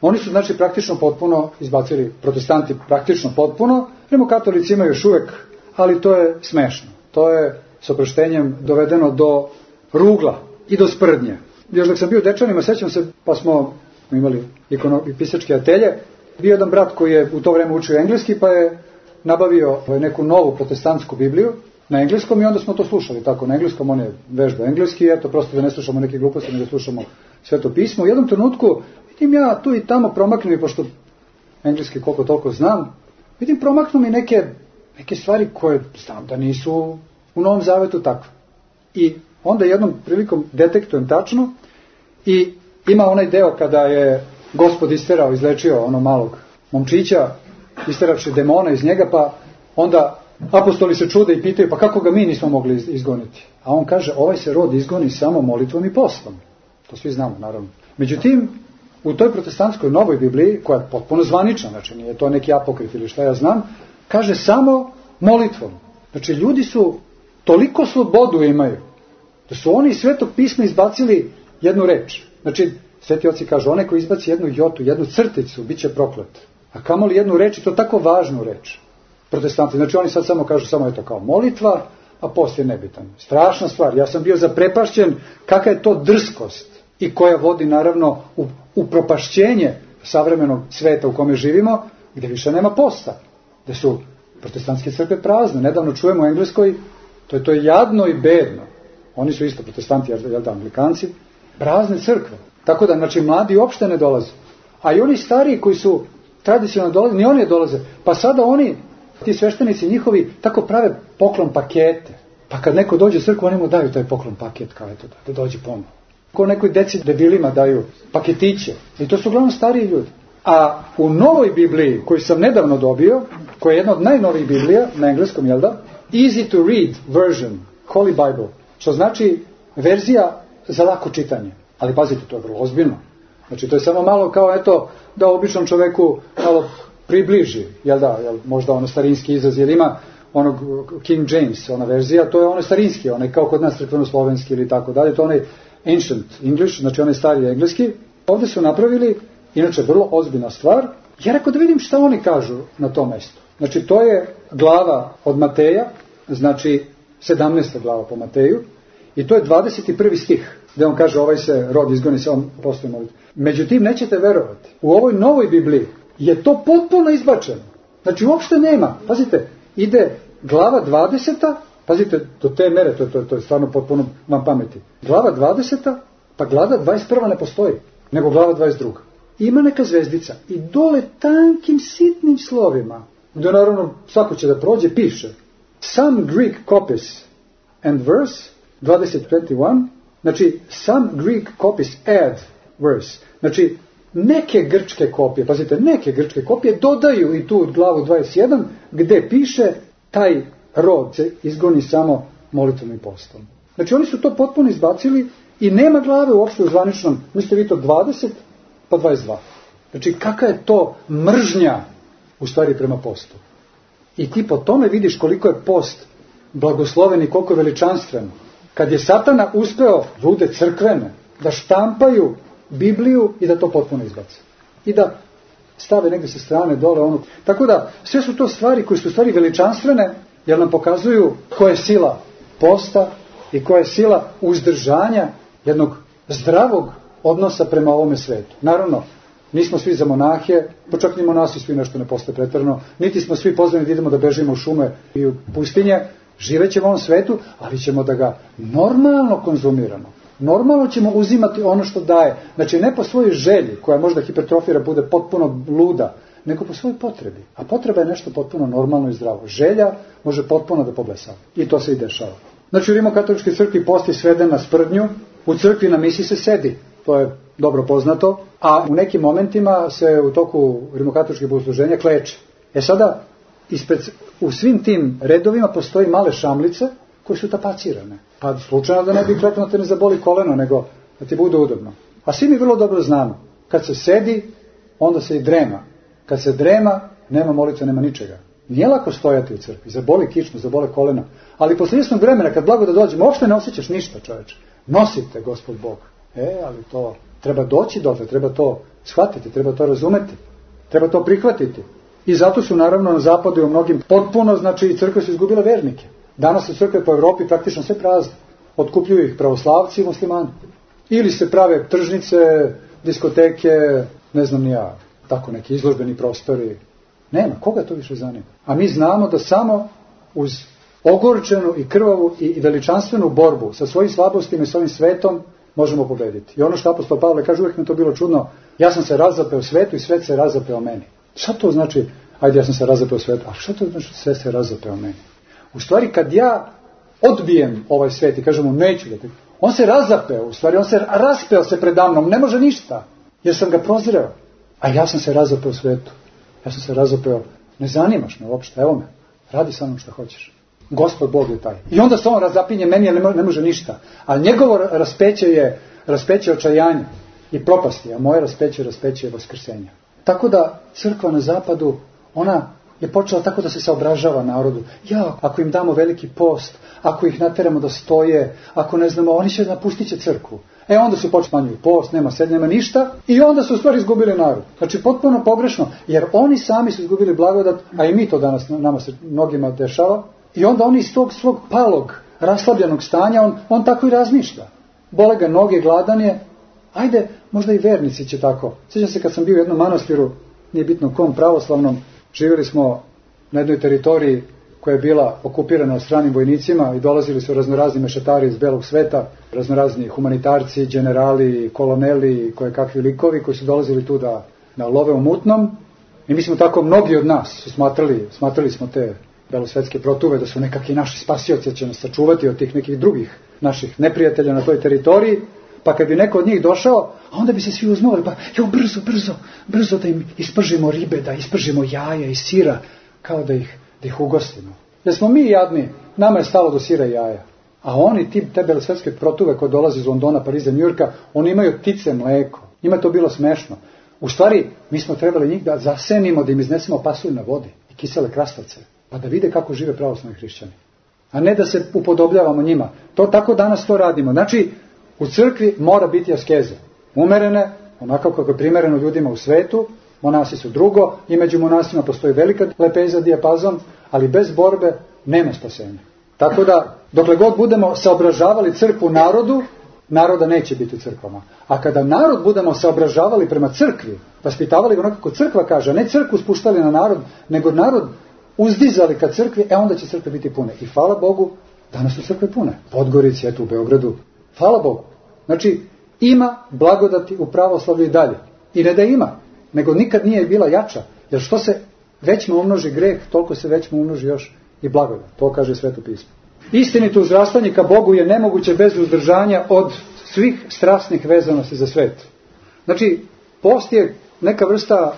C: oni su znači praktično potpuno izbacili, protestanti praktično potpuno, rimokatolici imaju još uvek, ali to je smešno. To je s oproštenjem dovedeno do rugla i do sprdnje. Još dok sam bio u Dečanima, sećam se, pa smo imali ikono, pisačke atelje, bio jedan brat koji je u to vreme učio engleski, pa je nabavio neku novu protestantsku Bibliju na engleskom i onda smo to slušali tako na engleskom, on je vežba engleski, eto prosto da ne slušamo neke gluposti, nego slušamo Sveto pismo. U jednom trenutku vidim ja tu i tamo promaknu mi, pošto engleski koliko toliko znam, vidim promaknu mi neke, neke stvari koje znam da nisu u Novom Zavetu takve. I onda jednom prilikom detektujem tačno i ima onaj deo kada je Gospod isterao, izlečio ono malog momčića, isteravši demona iz njega, pa onda apostoli se čude i pitaju, pa kako ga mi nismo mogli izgoniti? A on kaže, ovaj se rod izgoni samo molitvom i postom. To svi znamo, naravno. Međutim, u toj protestantskoj novoj Bibliji, koja je potpuno zvanična, znači nije to neki apokrif ili šta ja znam, kaže samo molitvom. Znači, ljudi su toliko slobodu imaju, da su oni iz Svetog pisma izbacili jednu reč. Znači, Sveti oci kažu, onaj koji izbaci jednu jotu, jednu crticu, bit će proklet. A kamoli jednu reč, i to tako važnu reč. Protestanti, znači oni sad samo kažu, samo je to kao molitva, a post je nebitan. Strašna stvar, ja sam bio zaprepašćen kakva je to drskost i koja vodi naravno u, u propašćenje savremenog sveta u kome živimo, gdje više nema posta, gdje su protestantske crkve prazne. Nedavno čujemo u Engleskoj, to je to je jadno i bedno. Oni su isto protestanti, jel da, Anglikanci, prazne crkve. Tako da, znači, mladi uopšte ne dolaze. A i oni stariji koji su tradicionalno dolaze, ni oni ne dolaze. Pa sada oni, ti sveštenici njihovi, tako prave poklon pakete. Pa kad neko dođe u crkvu, oni mu daju taj poklon paket, kao eto, da dođe ponovno. Ko nekoj deci debilima daju paketiće. I to su uglavnom stariji ljudi. A u novoj Bibliji, koju sam nedavno dobio, koja je jedna od najnovijih Biblija, na engleskom, jel da? Easy to read version, Holy Bible, što znači verzija za lako čitanje. Ali pazite, to je vrlo ozbiljno. Znači, to je samo malo kao, eto, da običnom čoveku malo približi, jel da, jel, možda ono starinski izraz, jer ima onog King James, ona verzija, to je ono starinski, onaj kao kod nas crkveno-slovenski ili tako dalje, to je onaj ancient English, znači onaj stari engleski. Ovdje su napravili, inače, vrlo ozbiljna stvar. Ja rekao da vidim šta oni kažu na tom mjestu. Znači, to je glava od Mateja, znači sedamnaesta glava po Mateju, i to je dvadeset prvi stih, gdje on kaže ovaj se rod izgoni sa on postoji molitva. Međutim, nećete verovati, u ovoj novoj Bibliji je to potpuno izbačeno. Znači, uopšte nema. Pazite, ide glava dvadeseta, pazite, do te mere, to, to, to je stvarno potpuno vam pameti. Glava dvadeseta, pa glava dvadeset prva ne postoji, nego glava dvadeset druga. Ima neka zvezdica i dole tankim sitnim slovima gdje naravno svako će da prođe, piše some Greek copies and verse, dvadeset dvadeset jedan, znači some Greek copies add verse, znači neke grčke kopije, pazite, neke grčke kopije dodaju i tu od glavu dvadeset jedan, gde piše taj rod se izgoni samo molitvom i postom. Znači oni su to potpuno izbacili i nema glave uopšte u zvaničnom, mislite vi to dvadeset pa dvadeset dva. Znači kakva je to mržnja u stvari prema postu. I ti po tome vidiš koliko je post blagosloven i koliko je veličanstven. Kad je Satana uspeo ljude crkvene da štampaju Bibliju i da to potpuno izbace. I da stave negdje sa strane dole ono. Tako da sve su to stvari koje su stvari veličanstvene jer nam pokazuju koja je sila posta i koja je sila uzdržanja jednog zdravog odnosa prema ovome svetu. Naravno, nismo svi za monahe, pa čak ni monasi svi nešto ne postoje pretjerano, niti smo svi pozvani da idemo da bežimo u šume i u pustinje, živećemo u ovom svetu, ali ćemo da ga normalno konzumiramo. Normalno ćemo uzimati ono što daje. Znači ne po svojoj želji, koja možda hipertrofira, bude potpuno luda, nego po svojoj potrebi. A potreba je nešto potpuno normalno i zdravo. Želja može potpuno da poblesava. I to se i dešava. Znači u Rimokatoličkoj crkvi post je sveden na sprdnju, u crkvi na misi se sedi. To je dobro poznato. A u nekim momentima se u toku rimokatoličkih bogosluženja kleče. E sada, ispred, u svim tim redovima postoji male šamlice koje su tapacirane. Pa slučajno da ne bi kleknuo da te ne zaboli koleno, nego da ti bude udobno. A svi mi vrlo dobro znamo. Kad se sedi, onda se i drema. Kad se drema, nema molitve, nema ničega. Nije lako stojati u crkvi. Zaboli kičmu, zabole kolena. Ali posle istog vremena, kad blago da dođemo, uopšte ne osjećaš ništa, čoveče. Nosite Gospod Bog. E, ali to treba doći dotle, treba to shvatiti, treba to razumeti. Treba to prihvatiti. I zato su naravno na zapadu i u mnogim potpuno, znači crkve su izgubile vernike. Danas su crkve po Evropi praktično sve prazne. Otkupljuju ih pravoslavci i muslimani. Ili se prave tržnice, diskoteke, ne znam ni ja, tako neki izložbeni prostori. Nema, koga to više zanima? A mi znamo da samo uz ogorčenu i krvavu i veličanstvenu borbu sa svojim slabostima i svojim svetom možemo pobediti. I ono što apostol Pavle kaže, uvijek mi to bilo čudno, ja sam se razapeo svetu i svet se razapeo meni. Šta to znači, ajde ja sam se razapeo svetu, a šta to znači sve se razapeo meni? U stvari kad ja odbijem ovaj svet i kažem mu neću da te... On se razapeo, u stvari on se raspeo se predamnom, ne može ništa, jer sam ga prozreo. A ja sam se razapeo svetu. Ja sam se razapeo, ne zanimaš me uopšte, evo me, radi sa mnom što hoćeš. Gospod Bog je taj. I onda se on razapinje meni, jer ne može ništa. A njegovo raspeće je raspeće očajanja i propasti, a moje raspeće je raspeće vaskrsenja. Tako da crkva na zapadu, ona je počela tako da se saobražava narodu. Ja, ako im damo veliki post, ako ih nateramo da stoje, ako ne znamo, oni će napustit će crkvu. E onda su počeli smanjuju post, nema sed, nema ništa i onda su u stvari izgubili narod. Znači potpuno pogrešno, jer oni sami su izgubili blagodat, a i mi to danas nama se mnogima dešava. I onda oni iz tog svog palog, raslabljenog stanja, on, on tako i razmišlja. Bole ga noge, gladan je. Ajde, možda i vernici će tako. Sjećam se kad sam bio u jednom manastiru, nije bitno kom, pravoslavnom, živjeli smo na jednoj teritoriji koja je bila okupirana od stranim vojnicima i dolazili su raznorazni mešetari iz belog sveta, raznorazni humanitarci, generali, koloneli, koje kakvi likovi koji su dolazili tu da, da love u mutnom. I mi smo tako, mnogi od nas su smatrali, smatrali smo te belosvetske protuve da su nekakvi naši spasioci, da će nas sačuvati od tih nekih drugih naših neprijatelja na toj teritoriji. Pa kad bi neko od njih došao, a onda bi se svi uzmovali, pa jo, brzo, brzo, brzo da im ispržimo ribe, da ispržimo jaja i sira, kao da ih, da ih ugostimo. Jer smo mi jadni, nama je stalo do sira i jaja. A oni, ti, te belosvetske protuve koje dolaze iz Londona, Pariza, Njujorka, oni imaju ptice mleko. Njima to bilo smešno. U stvari, mi smo trebali njih da zasenimo, da im iznesemo pasulj na vodi i kisele krastavce, pa da vide kako žive pravoslavni hrišćani. A ne da se upodobljavamo njima. To tako danas to radimo. Znači, u crkvi mora biti askeze. Umerene, onako kako je primereno ljudima u svetu, monasi su drugo, i među monasima postoji velika lepeza, dijapazon, ali bez borbe nema spasenja. Tako da, dokle god budemo saobražavali crkvu narodu, naroda neće biti u crkvama. A kada narod budemo saobražavali prema crkvi, vaspitavali ga onako kako crkva kaže, a ne crkvu spuštali na narod, nego narod uzdizali ka crkvi, e onda će crkve biti pune. I hvala Bogu, danas su crkve pune. Podgorici, eto u Beogradu. Hvala Bogu. Znači, ima blagodati u pravoslavlju i dalje. I ne da ima, nego nikad nije bila jača. Jer što se većma umnoži greh, toliko se većma umnoži još i blagodat. To kaže Sveto pismo. Istinito uzrastanje ka Bogu je nemoguće bez uzdržanja od svih strasnih vezanosti za svet. Znači, post je neka vrsta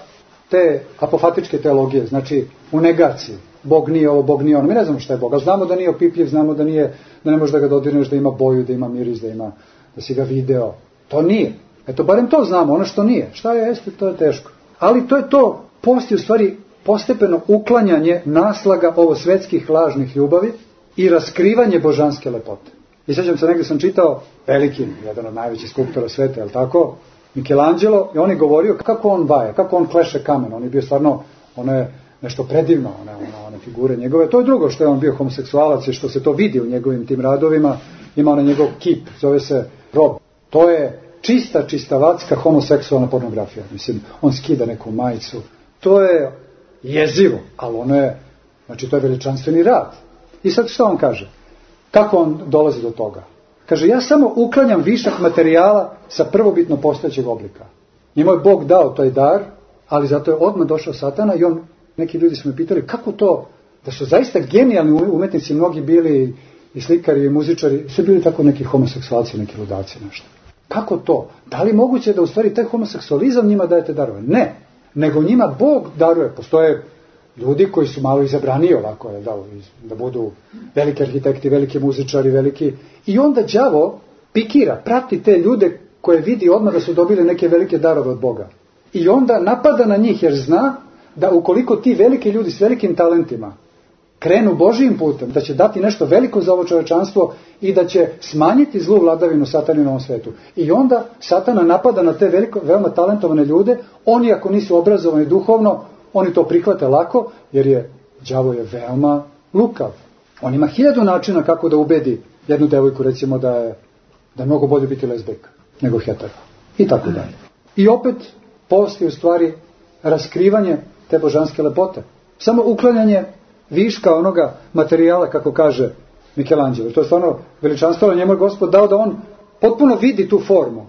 C: te apofatičke teologije, znači u negaciji. Bog nije ovo, Bog nije ono. Mi ne znamo šta je Bog, ali znamo da nije opipljiv, znamo da nije, da ne možeš da ga dodirneš, da ima boju, da ima miris, da ima, da si ga video. To nije. Eto, barem to znamo, ono što nije. Šta je, jeste, to je teško. Ali to je to, post je u stvari postepeno uklanjanje naslaga ovo svetskih lažnih ljubavi i raskrivanje božanske lepote. I sjećam se, negdje sam čitao, veliki, jedan od najvećih skulptora sveta, je li tako, Michelangelo, i on je govorio kako on baje, kako on kleše kamen. On je bio stvarno, ono je nešto predivno, one, one, one figure njegove. To je drugo što je on bio homoseksualac i što se to vidi u njegovim tim radovima. Ima onaj njegov kip, zove se Rob. To je čista, čistavacka homoseksualna pornografija. Mislim, on skida neku majicu. To je jezivo, ali ono je, znači to je veličanstveni rad. I sad što on kaže? Kako on dolazi do toga? Kaže, ja samo uklanjam višak materijala sa prvobitno postojećeg oblika. Njemu je Bog dao taj dar, ali zato je odmah došao Satana i on, neki ljudi su me pitali, kako to, da su zaista genijalni umetnici, mnogi bili i slikari i muzičari, su bili tako neki homoseksualci, neki ludaci, nešto. Kako to? Da li moguće da u stvari taj homoseksualizam njima dajete darove? Ne, nego njima Bog daruje. Postoje ljudi koji su malo izabraniji ovako, da, da budu veliki arhitekti, veliki muzičari, veliki... I onda đavo pikira, prati te ljude koje vidi odmah da su dobili neke velike darove od Boga. I onda napada na njih jer zna da ukoliko ti veliki ljudi s velikim talentima krenu Božijim putem, da će dati nešto veliko za ovo čovečanstvo i da će smanjiti zlu vladavinu Satana na ovom svetu. I onda Satana napada na te veliko, veoma talentovane ljude, oni ako nisu obrazovani duhovno, oni to prihvate lako, jer je đavo je veoma lukav. On ima hiljadu načina kako da ubedi jednu devojku, recimo da je, da je mnogo bolje biti lezbejka nego hetero. I tako dalje. I opet post je u stvari raskrivanje te božanske lepote. Samo uklanjanje viška onoga materijala, kako kaže Michelangelo. To je stvarno veličanstveno, njemu je Gospod dao da on potpuno vidi tu formu.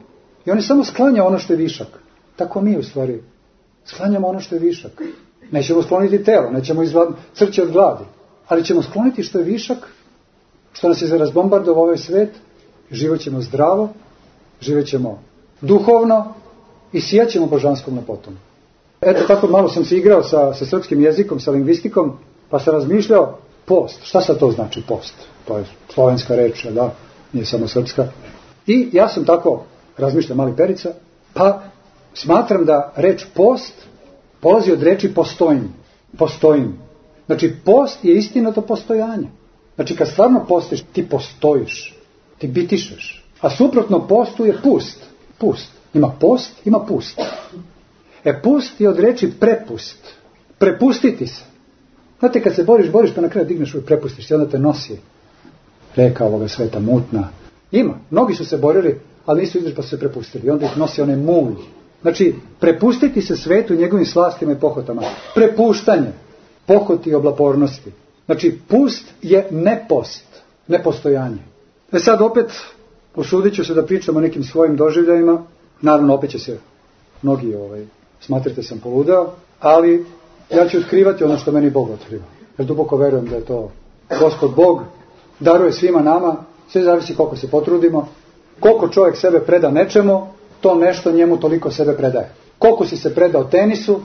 C: I on je samo sklanja ono što je višak. Tako mi u stvari sklanjamo ono što je višak. Nećemo skloniti telo, nećemo izvaditi crće od gladi, ali ćemo skloniti što je višak, što nas je razbombardovao ovaj svet, život ćemo zdravo, život ćemo duhovno i sijaćemo božanskom lepotom. Eto, tako malo sam se igrao sa, sa srpskim jezikom, sa lingvistikom, pa sam razmišljao, post, šta sad to znači post? To je slovenska reč, da, nije samo srpska. I ja sam tako razmišljao, mali Perica, pa smatram da reč post polazi od reči postojim. Postojim. Znači, post je istinato postojanje. Znači, kad stvarno postojiš, ti postojiš, ti bitišeš. A suprotno postu je pust. Pust. Ima post, ima pust. E, pust je od reči prepust. Prepustiti se. Znate, kad se boriš, boriš, pa na kraju digneš i prepustiš se, onda te nosi reka ovoga sveta, mutna. Ima. Mnogi su se borili, ali nisu izdržali pa su se prepustili. I onda ih nosi onaj mulj. Znači, prepustiti se svetu i njegovim slastima i pohotama. Prepuštanje, pohoti i oblapornosti. Znači, pust je nepost, nepostojanje. E sad opet, usudit ću se da pričam o nekim svojim doživljajima. Naravno, opet će se mnogi ovaj, smatrate sam poludeo, ali ja ću otkrivati ono što meni Bog otkriva. Jer duboko verujem da je to Gospod Bog, daruje svima nama, sve zavisi koliko se potrudimo, koliko čovjek sebe preda nečemu, to nešto njemu toliko sebe predaje. Koliko si se predao tenisu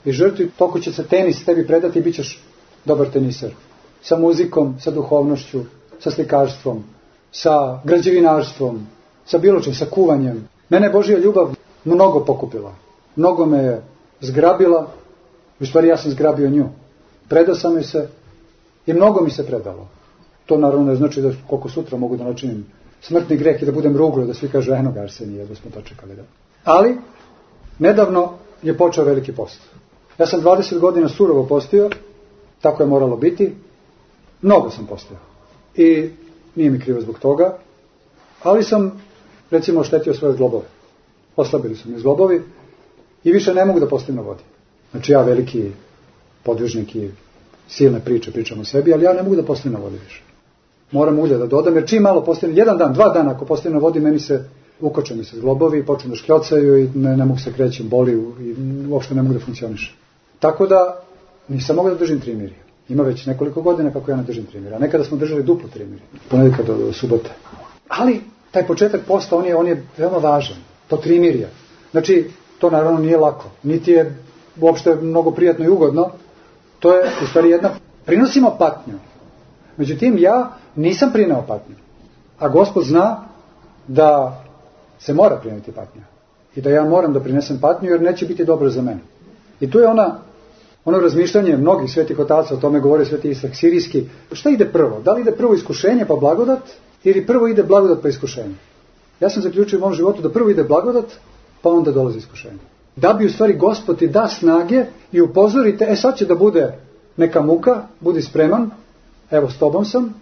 C: i žrtvi, toliko će se tenis tebi predati i bit ćeš dobar teniser. Sa muzikom, sa duhovnošću, sa slikarstvom, sa građevinarstvom, sa bilo čim, sa kuvanjem. Mene je Božja ljubav mnogo pokupila. Mnogo me je zgrabila, u stvari ja sam zgrabio nju. Predao sam joj se i mnogo mi se predalo. To naravno ne znači da koliko sutra mogu da načinim smrtni greh i da budem ruglo, da svi kažu eno ga Arsenije, da smo to čekali. Da. Ali, nedavno je počeo veliki post. Ja sam dvadeset godina surovo postio, tako je moralo biti, mnogo sam postio. I nije mi krivo zbog toga, ali sam, recimo, oštetio svoje zglobove. Oslabili su mi zglobovi i više ne mogu da postim na vodi. Znači ja veliki podvižnik i silne priče pričam o sebi, ali ja ne mogu da postim na vodi više. Moram ulje da dodam, jer čim malo postavim, jedan dan, dva dana ako postavim na vodi, meni se ukoče mi se zglobovi, počnu da škljocaju i ne, ne mogu se krećem, boli i uopšte ne mogu da funkcioniše. Tako da nisam mogao da držim trimirje. Ima već nekoliko godina kako ja ne držim trimirje. A nekada smo držali duplo trimirje, ponedjeljka do, do subote. Ali taj početak posta, on je, on je veoma važan. To trimirje. Znači, to naravno nije lako. Niti je uopšte mnogo prijatno i ugodno. To je u stvari jedna... Prinosimo patnju. Međutim, ja nisam prineo patnju. A Gospod zna da se mora prineti patnja. I da ja moram da prinesem patnju jer neće biti dobro za mene. I tu je ona, ono razmišljanje mnogih svetih otaca, o tome govori sveti Ishak Sirijski. Šta ide prvo? Da li ide prvo iskušenje pa blagodat ili prvo ide blagodat pa iskušenje? Ja sam zaključio u mom životu da prvo ide blagodat pa onda dolazi iskušenje. Da bi u stvari Gospod ti da snage i upozorite, e sad će da bude neka muka, budi spreman, evo s tobom sam,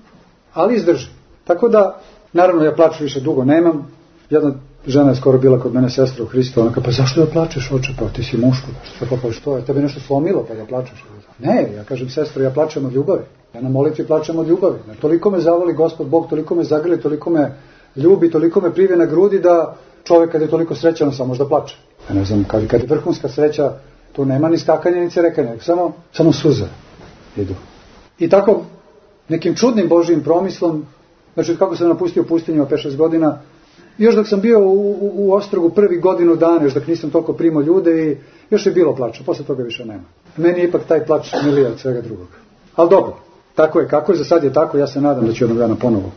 C: ali izdrži. Tako da, naravno ja plaću više dugo nemam. Jedna žena je skoro bila kod mene, sestra u Hristu, ona kao, pa zašto da plačeš, oče, pa ti si muško, pa, pa što je, tebe nešto slomilo pa da plačeš? Ne, ja kažem, sestro, ja plačem od ljubavi, ja na molitvi plačem od ljubavi, toliko me zavoli Gospod Bog, toliko me zagrli, toliko me ljubi, toliko me privije na grudi da čovjek kad je toliko srećan samo možda plače. Ja ne znam, kad, kad je vrhunska sreća, tu nema ni skakanja ni cerekanja, samo, samo suze idu. I tako, nekim čudnim Božijim promislom, znači kako sam napustio pustinju pet šest godina, još dok sam bio u, u, u Ostrogu prvi godinu dana, još dok nisam toliko primao ljude i još je bilo plača, posle toga više nema. Meni je ipak taj plač milija od svega drugog. Ali dobro, tako je kako je, za sad je tako, ja se nadam da ću jednog dana ponovo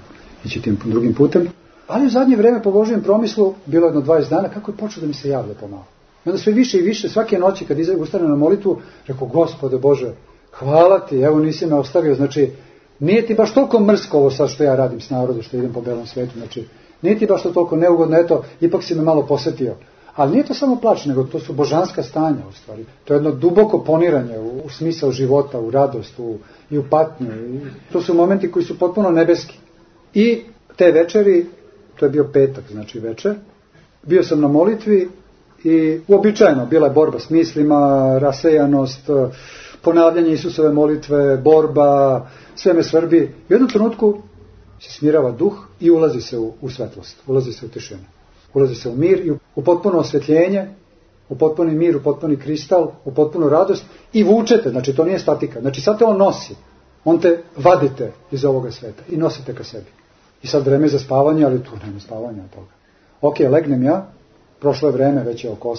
C: ići tim drugim putem. Ali u zadnje vreme po Božijem promislu, bilo jedno dvadeset dana, kako je počeo da mi se javlja pomalo. I onda sve više i više, svake noći kad ustane na molitvu, rekao, Gospode Bože, hvala ti, evo nisi me ostavio, znači, nije ti baš toliko mrsko ovo sad što ja radim s narodom, što idem po belom svetu, znači, nije ti baš to toliko neugodno, eto, ipak si me malo posjetio. Ali nije to samo plač, nego to su božanska stanja u stvari. To je jedno duboko poniranje u, u smisao života, u radost, u, i u patnju. I to su momenti koji su potpuno nebeski. I te večeri, to je bio petak, znači večer, bio sam na molitvi i uobičajeno bila je borba s mislima, rasejanost, ponavljanje Isusove molitve, borba, sve me svrbi. U jednom trenutku se smirava duh i ulazi se u, u svetlost, ulazi se u tišinu. Ulazi se u mir i u, u potpuno osvjetljenje, u potpuni mir, u potpuni kristal, u potpunu radost i vučete, znači to nije statika. Znači sad te on nosi, on te vadite iz ovoga sveta i nosite ka sebi. I sad vreme za spavanje, ali tu nema spavanja od toga. Ok, legnem ja, prošlo je vreme, već je oko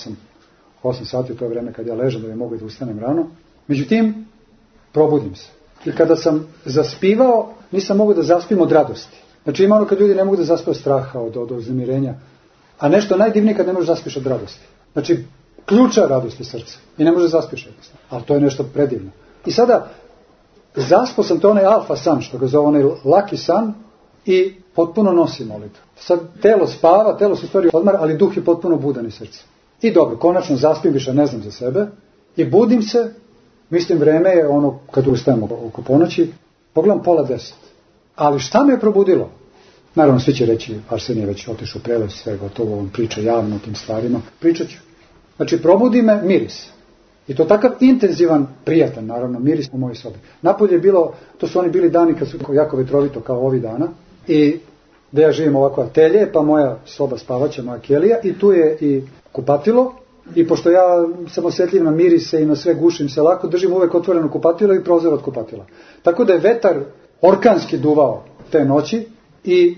C: osam sati, to je vreme kad ja ležem da bi mogu da ustanem rano. Međutim, probudim se. I kada sam zaspivao, nisam mogu da zaspim od radosti. Znači ima ono kad ljudi ne mogu da zaspe od straha, od, od uznemirenja. A nešto najdivnije kad ne možeš zaspiš od radosti. Znači, ključa radosti srca. I ne može zaspiš jednostavno. Ali to je nešto predivno. I sada, zaspao sam, to onaj alfa san, što ga zove onaj laki san, i potpuno nosi molitvu. Sad telo spava, telo se u stvari odmara, ali duh je potpuno budan iz srca. I dobro, konačno zaspim, više ne znam za sebe, i budim se, mislim vreme je ono, kad ustajemo oko ponoći, pogledam pola deset. Ali šta me je probudilo? Naravno, svi će reći, Arsenije je već otišao prelaz, sve gotovo, on priča javno o tim stvarima. Pričat ću. Znači, probudi me miris. I to takav intenzivan, prijatan, naravno, miris u mojoj sobi. Napolje je bilo, to su oni bili dani kad su jako vetrovito kao ovi dana. I da ja živim ovako atelje, pa moja soba spavaća, moja kelija, i tu je i kupatilo. I pošto ja sam osjetljiv na mirise i na sve, gušim se lako, držim uvek otvoreno kupatilo i prozor od kupatila. Tako da je vetar orkanski duvao te noći i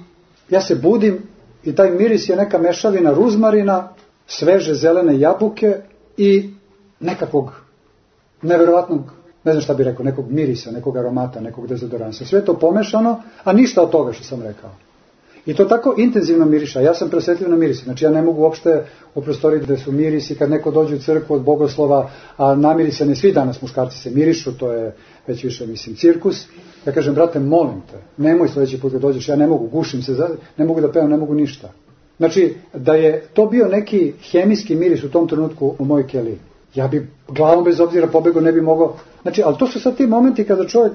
C: ja se budim i taj miris je neka mešavina ruzmarina, sveže zelene jabuke i nekakvog neverovatnog, ne znam šta bih rekao, nekog mirisa, nekog aromata, nekog dezodoransa. Sve to pomešano, a ništa od toga što sam rekao. I to tako intenzivno miriša. Ja sam presjetljiv na mirisi. Znači ja ne mogu uopšte u prostoriji gde su mirisi, kad neko dođe u crkvu od bogoslova, a namirisani svi danas muškarci se mirišu, to je već više, mislim, cirkus. Ja kažem, brate, molim te, nemoj sljedeći put kad dođeš, ja ne mogu, gušim se, ne mogu da pevam, ne mogu ništa. Znači, da je to bio neki hemijski miris u tom trenutku u mojoj keliji, ja bi glavom bez obzira pobegao, ne bi mogao. Znači, ali to su sad ti momenti kada čovjek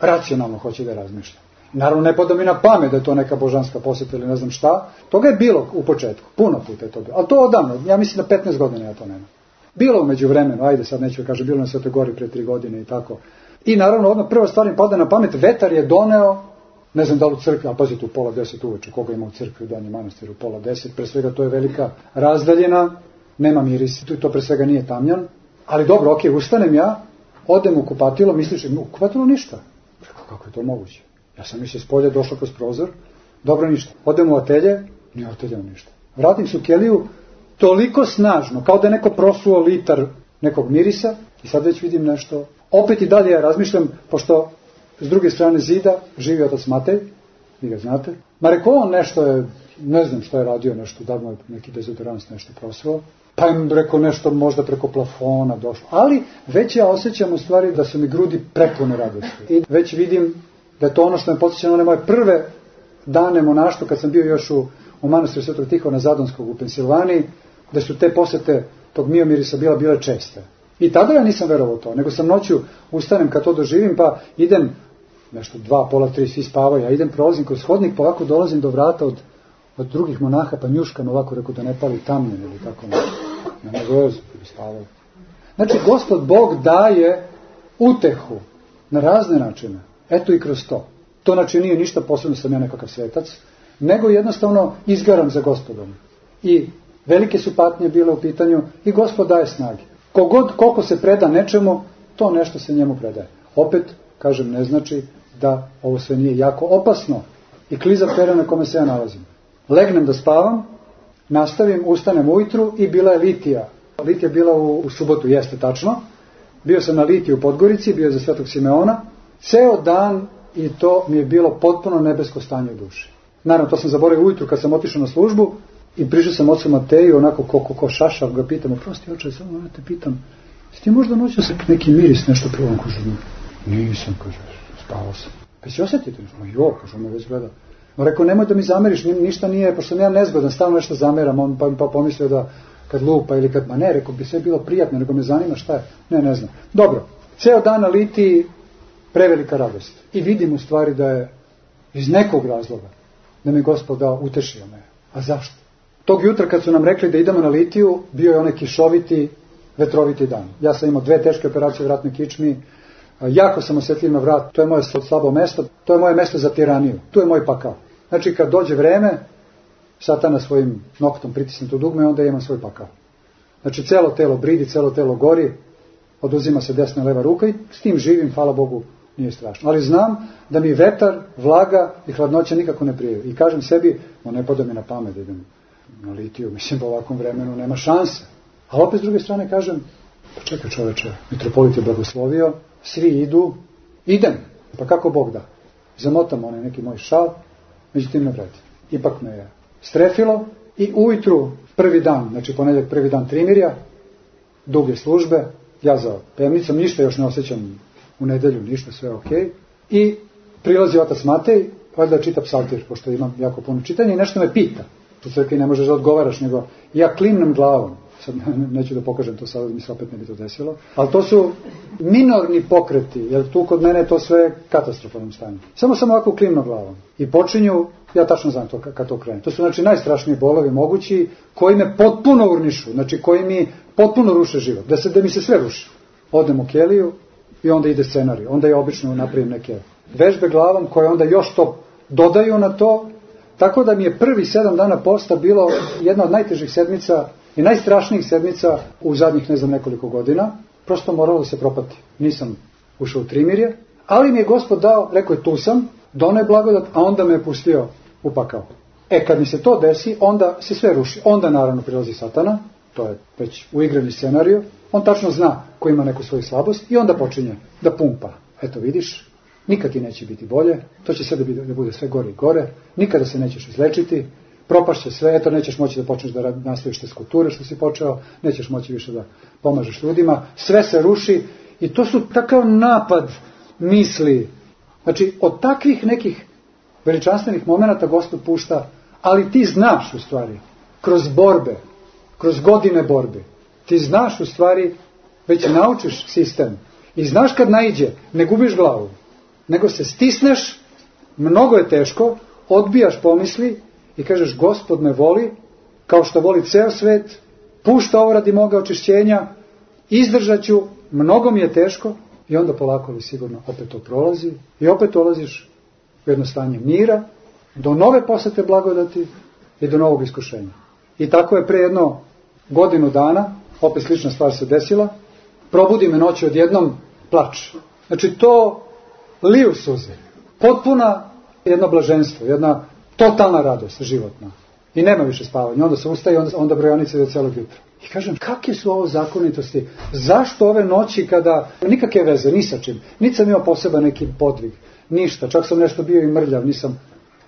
C: racionalno hoće da razmišlja. Naravno, ne pada mi na pamet da je to neka božanska posjeta ili ne znam šta. Toga je bilo u početku, puno puta je to bilo. Ali to odavno, ja mislim da petnaest godina ja to nema. Bilo u međuvremenu, ajde sad neću kaže, bilo na Svetoj Gori pre tri godine i tako. I naravno, odmah prva stvar mi pada na pamet, vetar je doneo, ne znam da li u crkvi, a pazite u pola deset uveče, koga ima u crkvi u Donjem Manastiru u pola deset, pre svega to je velika razdaljina, nema miris, to pre svega nije tamjan, ali dobro, ok, ustanem ja odem u kupatilo, misliš, u kupatilo ništa. Rekao, kako je to moguće? Ja sam mislio s polja, došao kroz prozor, dobro ništa. Odem u atelje, nije ateljao ništa. Vratim se u keliju, toliko snažno, kao da je neko prosuo litar nekog mirisa i sad već vidim nešto. Opet i dalje ja razmišljam, pošto s druge strane zida živi otac Matej, vi ga znate. Ma rekao on nešto je, ne znam što je radio, nešto, da mu je neki dezodorans nešto prosuo. Pa im rekao nešto možda preko plafona došlo. Ali već ja osjećam u stvari da su mi grudi prepune radosti. I već vidim da je to ono što me podsjeća na one moje prve dane monaštva, kad sam bio još u, u manastiru Svetog Tihona Zadonskog u Pensilvaniji, da su te posete tog miomirisa bila bile česte. I tada ja nisam verovao to, nego sam noću ustanem kad to doživim, pa idem, nešto dva, pola, tri, svi spavaju, ja idem, prolazim kroz hodnik, pa ovako dolazim do vrata od, od drugih monaha, pa njuškam ovako, rekao da ne pali tamljen ili tako nešto. Na negozu, bi spavaju. Znači, Gospod Bog daje utehu na razne načine. Eto i kroz to. To znači nije ništa posebno, sam ja nekakav svetac, nego jednostavno izgaram za Gospodom. I velike su patnje bile u pitanju i Gospod daje snage. Kogod, koliko se preda nečemu, to nešto se njemu predaje. Opet, kažem, ne znači da ovo sve nije jako opasno i kliza pera na kome se ja nalazim. Legnem da spavam, nastavim, ustanem ujutru i bila je litija. Litija je bila u, u subotu, jeste tačno. Bio sam na litiji u Podgorici, bio je za Svetog Simeona. Ceo dan i to mi je bilo potpuno nebesko stanje u duši. Naravno, to sam zaboravio ujutru kad sam otišao na službu i prišao sam ocu Mateju, onako ko, ko, ko šašav, ga pitam, oprosti oče, samo ja te pitam, si ti možda noću se neki miris nešto prvom, kaže, nisam, kaže, spavao sam. Pa si osjetite? Jo, kaže, on me već gleda. No, rekao, nemoj da mi zameriš, ništa nije, pošto sam ja nezgodan, stalno nešto zameram, on pa, pa pomislio da kad lupa ili kad, ma ne, rekao, bi sve bilo prijatno, nego me zanima šta je, ne, ne znam. Dobro, ceo dan na litiji, prevelika radost. I vidim u stvari da je iz nekog razloga, da mi Gospod dao, utešio me. A zašto? Tog jutra kad su nam rekli da idemo na litiju, bio je onaj kišoviti, vetroviti dan. Ja sam imao dve teške operacije u vratnoj kičmi, jako sam osjetljiv na vrat, to je moje slabo mesto, to je moje mesto za tiraniju, tu je moj pakao. Znači kad dođe vreme, Satana svojim noktom pritisne to dugme, onda imam svoj pakao. Znači celo telo bridi, celo telo gori, oduzima se desna i leva ruka i s tim živim, hvala Bogu, nije strašno. Ali znam da mi vetar, vlaga i hladnoća nikako ne prijaju. I kažem sebi, no ne pada mi na pamet da idem na litiju, mislim po ovakvom vremenu nema šanse. Ali opet s druge strane kažem, pa čekaj čoveče, mitropolit je blagoslovio, svi idu, idem, pa kako Bog da. Zamotam onaj neki moj šal, međutim ne vredi. Ipak me je strefilo i ujutru prvi dan, znači ponedjeljak prvi dan trimirja, duge službe, ja za pevnicom, ništa još ne osjećam u nedelju, ništa, sve ok. I prilazi otac Matej, valjda čita psaltir, pošto imam jako puno čitanja i nešto me pita. U crkvi ne možeš da odgovaraš, nego ja klimnem glavom. Sad neću da pokažem to sada, da mi se opet ne bi to desilo. Ali to su minorni pokreti, jer tu kod mene je to sve katastrofalnom stanju. Samo sam ovako klimno glavom. I počinju, ja tačno znam to kad to krene. To su znači najstrašniji bolovi mogući, koji me potpuno urnišu, znači koji mi potpuno ruše život. Da, se, da mi se sve ruši. Odem u keliju i onda ide scenarij. Onda ja obično napravim neke vežbe glavom koje onda još to dodaju na to. Tako da mi je prvi sedam dana posta bilo jedna od najtežih sedmica i najstrašnijih sedmica u zadnjih ne znam nekoliko godina. Prosto moralo da se propati. Nisam ušao u trimirje, ali mi je Gospod dao, rekao je tu sam, doneo je blagodat, a onda me je pustio u pakao. E kad mi se to desi, onda se sve ruši. Onda naravno prilazi Satana, to je već uigrani scenarij, on tačno zna ko ima neku svoju slabost i onda počinje da pumpa. Eto vidiš, nikad ti neće biti bolje, to će sve da, da bude sve gore i gore, nikada se nećeš izlečiti, propašće sve, eto nećeš moći da počneš da nastaviš te skulpture što si počeo, nećeš moći više da pomažeš ljudima, sve se ruši i to su takav napad misli. Znači, od takvih nekih veličanstvenih momenata Gospod pušta, ali ti znaš u stvari, kroz borbe, kroz godine borbe, ti znaš u stvari, već naučiš sistem i znaš kad naiđe, ne gubiš glavu, nego se stisneš, mnogo je teško, odbijaš pomisli i kažeš Gospod me voli, kao što voli ceo svet, pušta ovo radi moga očišćenja, izdržat ću, mnogo mi je teško i onda polako ali sigurno opet to prolazi i opet dolaziš u jedno stanje mira, do nove posete blagodati i do novog iskušenja. I tako je pre jedno godinu dana, opet slična stvar se desila, probudi me noći odjednom plač. Znači to liju suze. Potpuna jedno blaženstvo, jedna totalna radost životna. I nema više spavanja. Onda se ustaje i onda, onda brojanice do celog jutra. I kažem, kakve su ovo zakonitosti? Zašto ove noći kada nikakve veze, ni sa čim, niti sam imao poseban neki podvig, ništa, čak sam nešto bio i mrljav, nisam.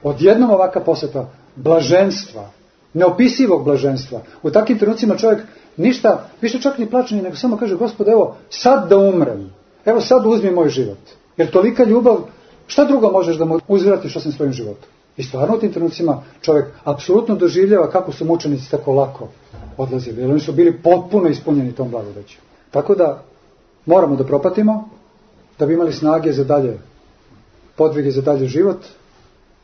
C: Odjednom ovaka poseta blaženstva, neopisivog blaženstva. U takvim trenucima čovjek ništa, više čak ni plače, nego samo kaže, Gospod, evo, sad da umrem, evo sad uzmi moj život. Jer tolika ljubav, šta drugo možeš da mu uzvratiš osim svojim životom? I stvarno u tim trenucima čovjek apsolutno doživljava kako su mučenici tako lako odlazili. Jer oni su bili potpuno ispunjeni tom blagodaću. Tako da moramo da propatimo, da bi imali snage za dalje podvige, za dalje život.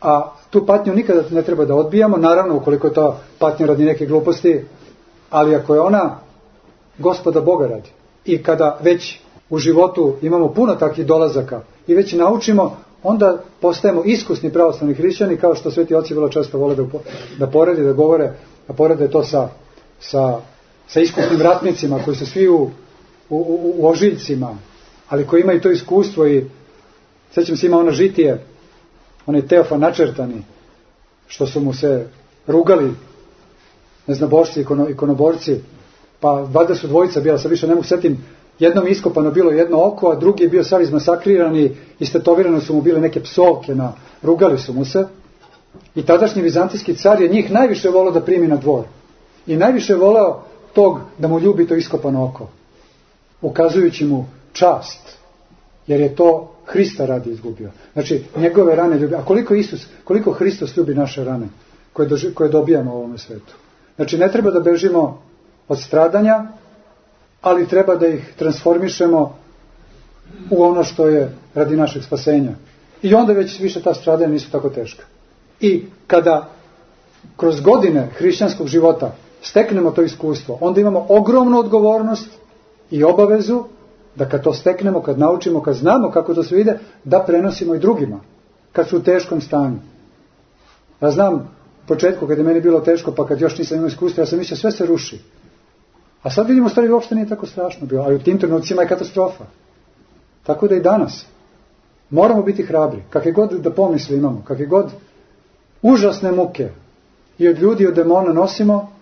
C: A tu patnju nikada ne treba da odbijamo, naravno ukoliko je to patnja radi neke gluposti, ali ako je ona Gospoda Boga radi. I kada već u životu imamo puno takvih dolazaka i već naučimo, onda postajemo iskusni pravoslavni hrišćani, kao što sveti oci vrlo često vole da, da poredi, da govore, da porede to sa, sa, sa iskusnim ratnicima koji su svi u, u, u, u ožiljcima, ali koji imaju to iskustvo. I sećam se, ima ono žitije, onaj Teofan načrtani, što su mu se rugali neznabošci, ikono, ikonoborci, pa valjda su dvojica bila, sad više ne mogu setim, jednom iskopano bilo jedno oko, a drugi je bio sav izmasakriran i istetovirano su mu bile neke psovke, na, rugali su mu se. I tadašnji vizantijski car je njih najviše voleo da primi na dvor. I najviše voleo tog da mu ljubi to iskopano oko, ukazujući mu čast, jer je to Hrista radi izgubio. Znači, njegove rane ljubi. A koliko Isus, koliko Hristos ljubi naše rane koje, doži, koje dobijamo u ovome svetu. Znači, ne treba da bežimo od stradanja, ali treba da ih transformišemo u ono što je radi našeg spasenja. I onda već više ta stradanja nisu tako teška. I kada kroz godine hrišćanskog života steknemo to iskustvo, onda imamo ogromnu odgovornost i obavezu da kad to steknemo, kad naučimo, kad znamo kako to sve ide, da prenosimo i drugima, kad su u teškom stanju. Ja znam, u početku kad je meni bilo teško, pa kad još nisam imao iskustva, ja sam mislio sve se ruši. A sad vidimo, u stvari uopšte nije tako strašno bilo, ali u tim trenucima je katastrofa. Tako da i danas moramo biti hrabri, kakve god da pomisli imamo, kakve god užasne muke i od ljudi i od demona nosimo,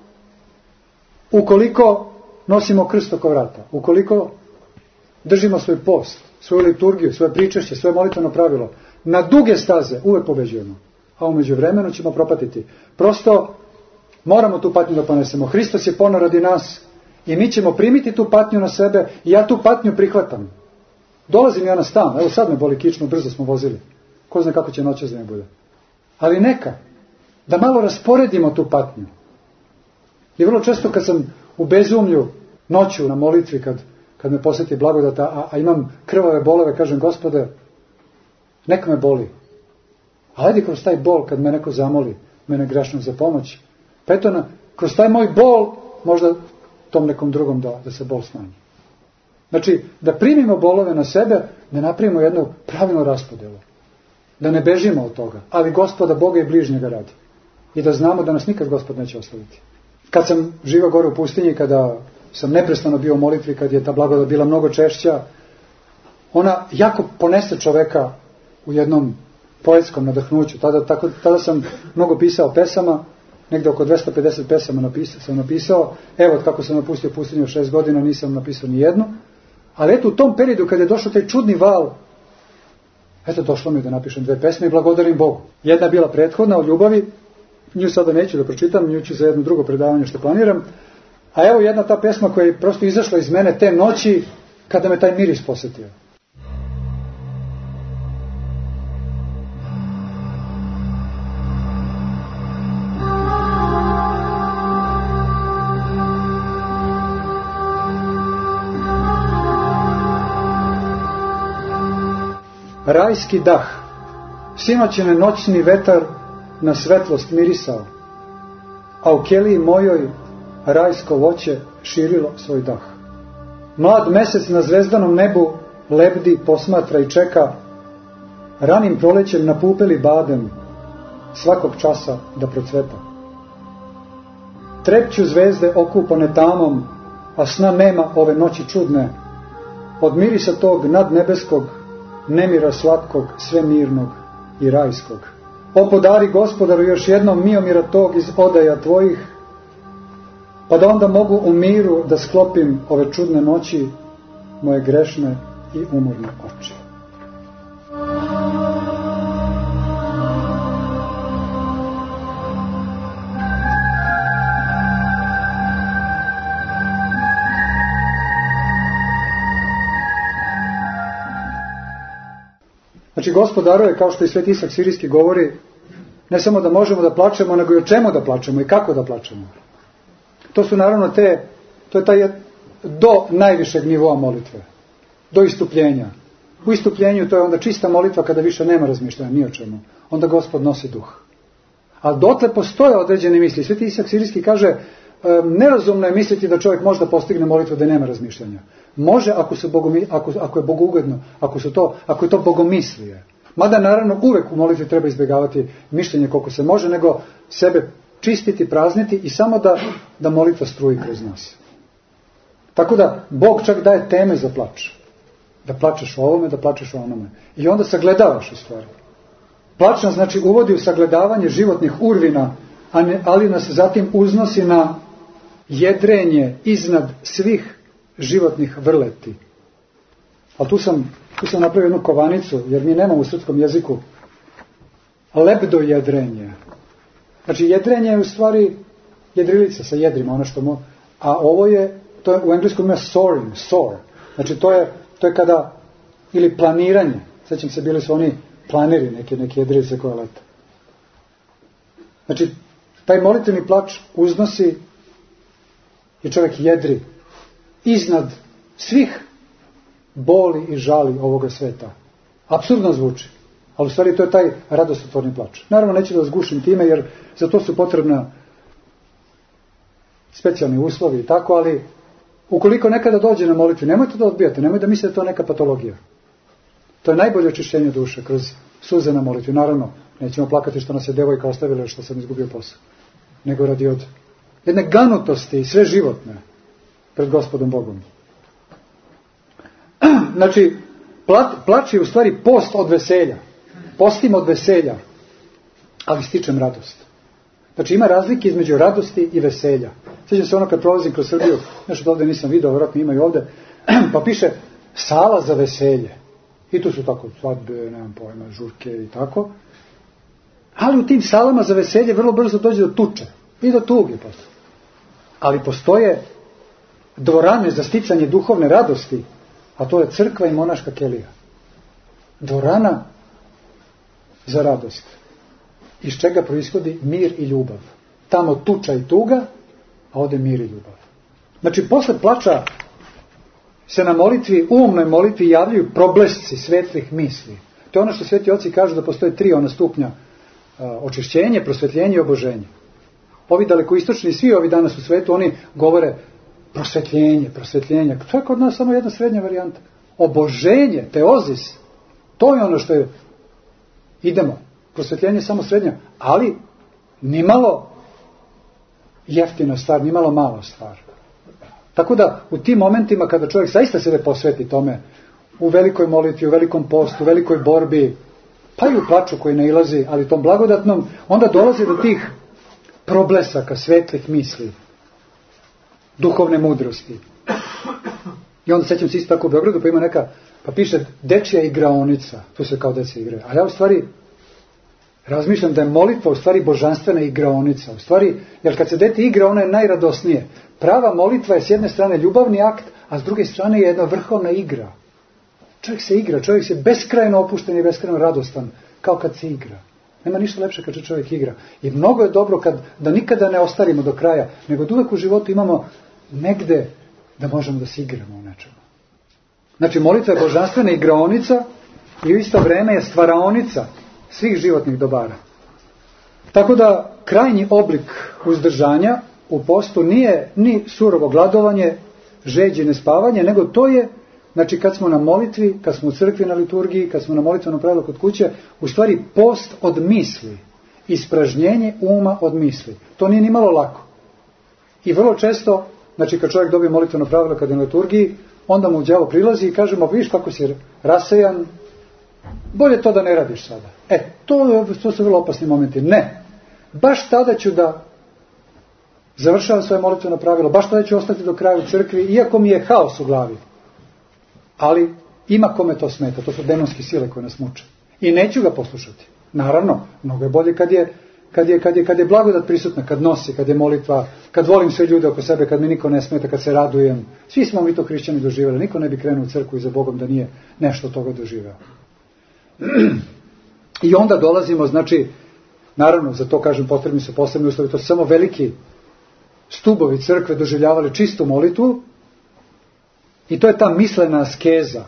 C: ukoliko nosimo krst oko vrata, ukoliko držimo svoj post, svoju liturgiju, svoje pričešće, svoje molitveno pravilo, na duge staze uvek pobeđujemo, a u međuvremenu ćemo propatiti. Prosto moramo tu patnju da ponesemo. Hristos je poneo radi nas i mi ćemo primiti tu patnju na sebe i ja tu patnju prihvatam. Dolazim ja na stan, evo sad me boli kično, brzo smo vozili. Ko zna kako će noćas da ne bude. Ali neka, da malo rasporedimo tu patnju. I vrlo često kad sam u bezumlju noću na molitvi, kad, kad me posjeti blagodata, a, a imam krvave bolove, kažem, Gospode, neka me boli. A ajde kroz taj bol, kad me neko zamoli, mene grešnog za pomoć, pa eto, na, kroz taj moj bol, možda tom nekom drugom da, da se bol smanji. Znači, da primimo bolove na sebe, da napravimo jednu pravilnu raspodelu. Da ne bežimo od toga, ali Gospoda Boga i bližnjega radi. I da znamo da nas nikad Gospod neće ostaviti. Kad sam živio gore u pustinji, kada sam neprestano bio u molitvi, kad je ta blagodat bila mnogo češća, ona jako ponese čoveka u jednom poetskom nadahnuću. Tada, tako, tada sam mnogo pisao pesama, negde oko dvesta pedeset pesama napisao, sam napisao. Evo, od kako sam napustio pustinju šest godina, nisam napisao ni jednu. Ali eto, u tom periodu, kada je došao taj čudni val, eto, došlo mi da napišem dve pesme i blagodarim Bogu. Jedna je bila prethodna o ljubavi, nju sada neću da pročitam, nju ću za jedno drugo predavanje što planiram. A evo jedna ta pesma koja je prosto izašla iz mene te noći, kada me taj miris posjetio. Rajski dah, sinoć je noćni vetar na svetlost mirisao, a u keliji mojoj rajsko voće širilo svoj dah. Mlad mesec na zvezdanom nebu lebdi, posmatra i čeka, ranim prolećem napupeli badem svakog časa da procveta. Trepću zvezde okupane tamom, a sna nema ove noći čudne, od mirisa tog nadnebeskog, nemira slatkog, svemirnog i rajskog. O podari Gospodaru još jednom miomira tog iz odaja tvojih, pa da onda mogu u miru da sklopim ove čudne noći, moje grešne i umorne oči. Znači, Gospodaru je, kao što i Sveti Isak Sirijski govori, ne samo da možemo da plačemo, nego i o čemu da plačemo i kako da plačemo. To su naravno te, to je taj do najvišeg nivoa molitve, do istupljenja. U istupljenju to je onda čista molitva kada više nema razmišljanja ni o čemu. Onda Gospod nosi duh. Ali dotle postoje određene misli. Sveti Isak Sirijski kaže, nerazumno je misliti da čovjek možda postigne molitvu da nema razmišljanja. Može ako, su bogomi, ako, ako je bogougodno, ako, su to, ako je to bogomislije. Mada naravno uvek u molitvi treba izbjegavati mišljenje koliko se može, nego sebe čistiti, prazniti i samo da, da molitva struji kroz nas. Tako da Bog čak daje teme za plač. Da plačeš o ovome, da plačeš o onome. I onda sagledavaš u stvari. Plač nas znači uvodi u sagledavanje životnih urvina, a ne, ali nas zatim uznosi na jedrenje iznad svih životnih vrleti. Ali tu sam, tu sam napravio jednu kovanicu, jer mi nemamo u srpskom jeziku lebdo jedrenje. Znači jedrenje je u stvari jedrilica sa jedrima, ono što mo, a ovo je, to je u engleskom ima soaring, soar. Znači to je, to je kada, ili planiranje. Sjećam se, bili su oni planeri, neke, neke jedrilice koje lete. Znači, taj molitveni plač uznosi i čovjek jedri iznad svih boli i žali ovoga sveta. Apsurdno zvuči, ali u stvari to je taj radostotvorni plač. Naravno, neću da vas gušim time, jer za to su potrebna specijalni uslovi i tako, ali ukoliko nekada dođe na molitvi, nemojte da odbijate, nemojte da mislite da je to neka patologija. To je najbolje očišćenje duše kroz suze na molitvi. Naravno, nećemo plakati što nas je devojka ostavila, što sam izgubio posao, nego radi od jedne ganutosti, sve životne, pred Gospodom Bogom. Znači, plač je u stvari post od veselja. Postim od veselja, ali stičem radost. Znači, ima razlike između radosti i veselja. Sjećam se ono kad prolazim kroz Srbiju, nešto ovdje nisam vidio, vjerojatno ima i ovdje, pa piše sala za veselje. I tu su tako svadbe, nemam pojma, žurke i tako. Ali u tim salama za veselje vrlo brzo dođe do tuče i do tuge posle. Ali postoje dvorane za sticanje duhovne radosti, a to je crkva i monaška kelija. Dvorana za radost, iz čega proizvodi mir i ljubav. Tamo tuča i tuga, a ovdje mir i ljubav. Znači, posle plača se na molitvi, umnoj molitvi javljaju problesci svetlih misli. To je ono što sveti oci kažu da postoje tri ona stupnja uh, očišćenje, prosvetljenje i oboženje. Ovi dalekoistočni, svi ovi danas u svetu, oni govore prosvetljenje, prosvetljenje. To je kod nas samo jedna srednja varijanta. Oboženje, teozis, to je ono što je, idemo, prosvetljenje je samo srednja, ali nimalo jeftina stvar, nimalo mala stvar. Tako da u tim momentima kada čovjek zaista sebe posveti tome, u velikoj molitvi, u velikom postu, u velikoj borbi, pa i u plaču koji nailazi, ali tom blagodatnom, onda dolazi do tih problesaka, svetlih misli, duhovne mudrosti. I onda sećam se isto tako u Beogradu, pa ima neka, pa piše dečja igraonica, tu se kao deca igraju. Ali ja u stvari razmišljam da je molitva u stvari božanstvena igraonica. U stvari, jer kad se dete igra, ono je najradosnije. Prava molitva je s jedne strane ljubavni akt, a s druge strane je jedna vrhovna igra. Čovjek se igra, čovjek se beskrajno opušten i beskrajno radostan, kao kad se igra. Nema ništa lepše kad se čovjek igra. I mnogo je dobro kad, da nikada ne ostarimo do kraja, nego da uvek u životu imamo negde da možemo da se igramo u nečemu. Znači, molitva je božanstvena igraonica i u isto vreme je stvaraonica svih životnih dobara. Tako da krajnji oblik uzdržanja u postu nije ni surovo gladovanje, žeđi, nespavanje, nego to je, znači kad smo na molitvi, kad smo u crkvi na liturgiji, kad smo na molitvenom pravilu kod kuće, u stvari post od misli, ispražnjenje uma od misli. To nije ni malo lako. I vrlo često, znači kad čovjek dobije molitveno pravilo kad je na liturgiji, onda mu đavo prilazi i kaže, ma vidiš kako si rasejan, bolje to da ne radiš sada. E, to, to su vrlo opasni momenti. Ne, baš tada ću da završavam svoje molitveno pravilo, baš tada ću ostati do kraja u crkvi, iako mi je haos u glavi. Ali ima kome to smeta, to su demonske sile koje nas muče. I neću ga poslušati. Naravno, mnogo je bolje kad je, kad je, kad je, kad je blagodat prisutna, kad nosi, kad je molitva, kad volim sve ljude oko sebe, kad mi niko ne smeta, kad se radujem. Svi smo mi to hrišćani doživjeli. Niko ne bi krenuo u crkvu i za Bogom da nije nešto od toga doživeo. I onda dolazimo, znači, naravno, za to kažem, potrebni su posebni uslovi, to su samo veliki stubovi crkve doživljavali čistu molitvu i to je ta mislena askeza.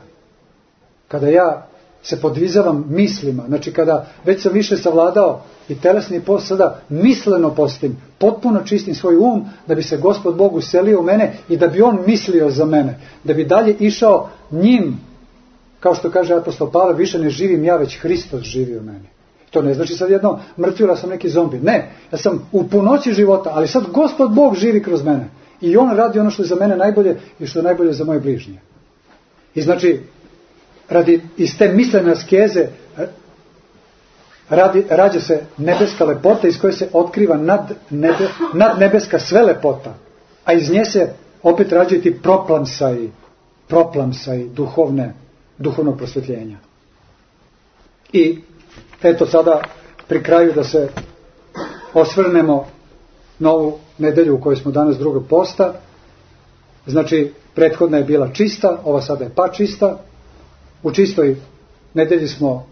C: Kada ja se podvizavam mislima, znači kada već sam više savladao i telesni post, sada misleno postim, potpuno čistim svoj um, da bi se Gospod Bog uselio u mene i da bi On mislio za mene, da bi dalje išao njim, kao što kaže apostol Pavle, više ne živim ja, već Hristos živi u meni. To ne znači sad jedno mrtvila sam neki zombi. Ne, ja sam u punoći života, ali sad Gospod Bog živi kroz mene. I On radi ono što je za mene najbolje i što je najbolje za moje bližnje. I znači, radi iz te mislene askeze radi, rađa se nebeska lepota iz koje se otkriva nad, nebe, nad nebeska sve lepota. A iz nje se opet rađaju ti proplamsaji, proplamsaji duhovne, duhovnog prosvjetljenja. I eto sada pri kraju da se osvrnemo na ovu nedelju u kojoj smo danas drugog posta. Znači, prethodna je bila čista, ova sada je pa čista. U čistoj nedelji smo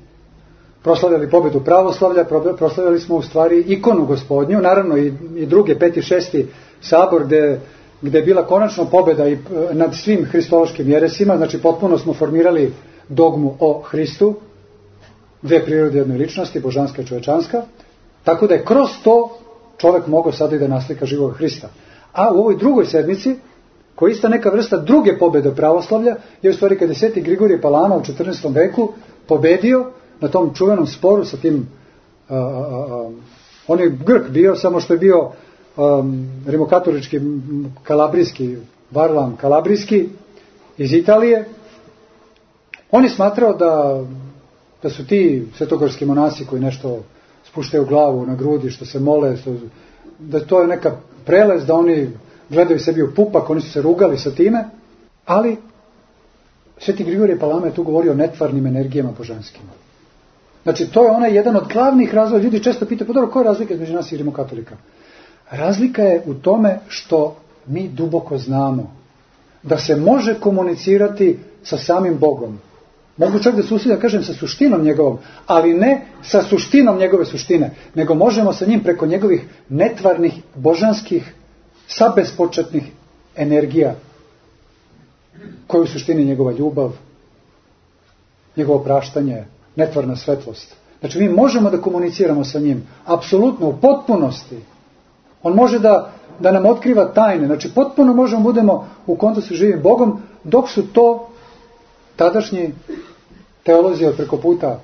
C: proslavljali pobedu pravoslavlja, proslavljali smo u stvari ikonu Gospodnju, naravno i, i drugi, peti, šesti sabor gde, gde je bila konačno pobeda i nad svim hristološkim jeresima, znači potpuno smo formirali dogmu o Hristu, dve prirode jedne ličnosti, božanska i čovečanska, tako da je kroz to čovjek mogao sada i da naslika živog Hrista. A u ovoj drugoj sedmici, koja je ista neka vrsta druge pobjede pravoslavlja, je u stvari kada je sveti Grigorije Palama u četrnaestom veku pobedio na tom čuvenom sporu sa tim, a, a, a, on je Grk bio, samo što je bio um, rimokatolički, kalabrijski, Varlam kalabrijski iz Italije. On je smatrao da, da su ti svetogorski monasi koji nešto spuštaju glavu na grudi, što se mole, što, da to je neka prelez, da oni gledaju sebi u pupak, oni su se rugali sa time, ali sveti Grigorije Palama je tu govorio o netvarnim energijama božanskima. Znači, to je onaj jedan od glavnih razloga. Ljudi često pitaju, pa dobro, koja je razlika između nas i rimokatolika? Razlika je u tome što mi duboko znamo da se može komunicirati sa samim Bogom. Mogu čak da se usudim da kažem sa suštinom njegovom, ali ne sa suštinom njegove suštine, nego možemo sa njim preko njegovih netvarnih, božanskih, sabespočetnih energija, koje u suštini njegova ljubav, njegovo praštanje, netvarna svetlost. Znači mi možemo da komuniciramo sa njim, apsolutno, u potpunosti. On može da, da nam otkriva tajne, znači potpuno možemo budemo u kontaktu sa živim Bogom, dok su to tadašnji teolozi od preko puta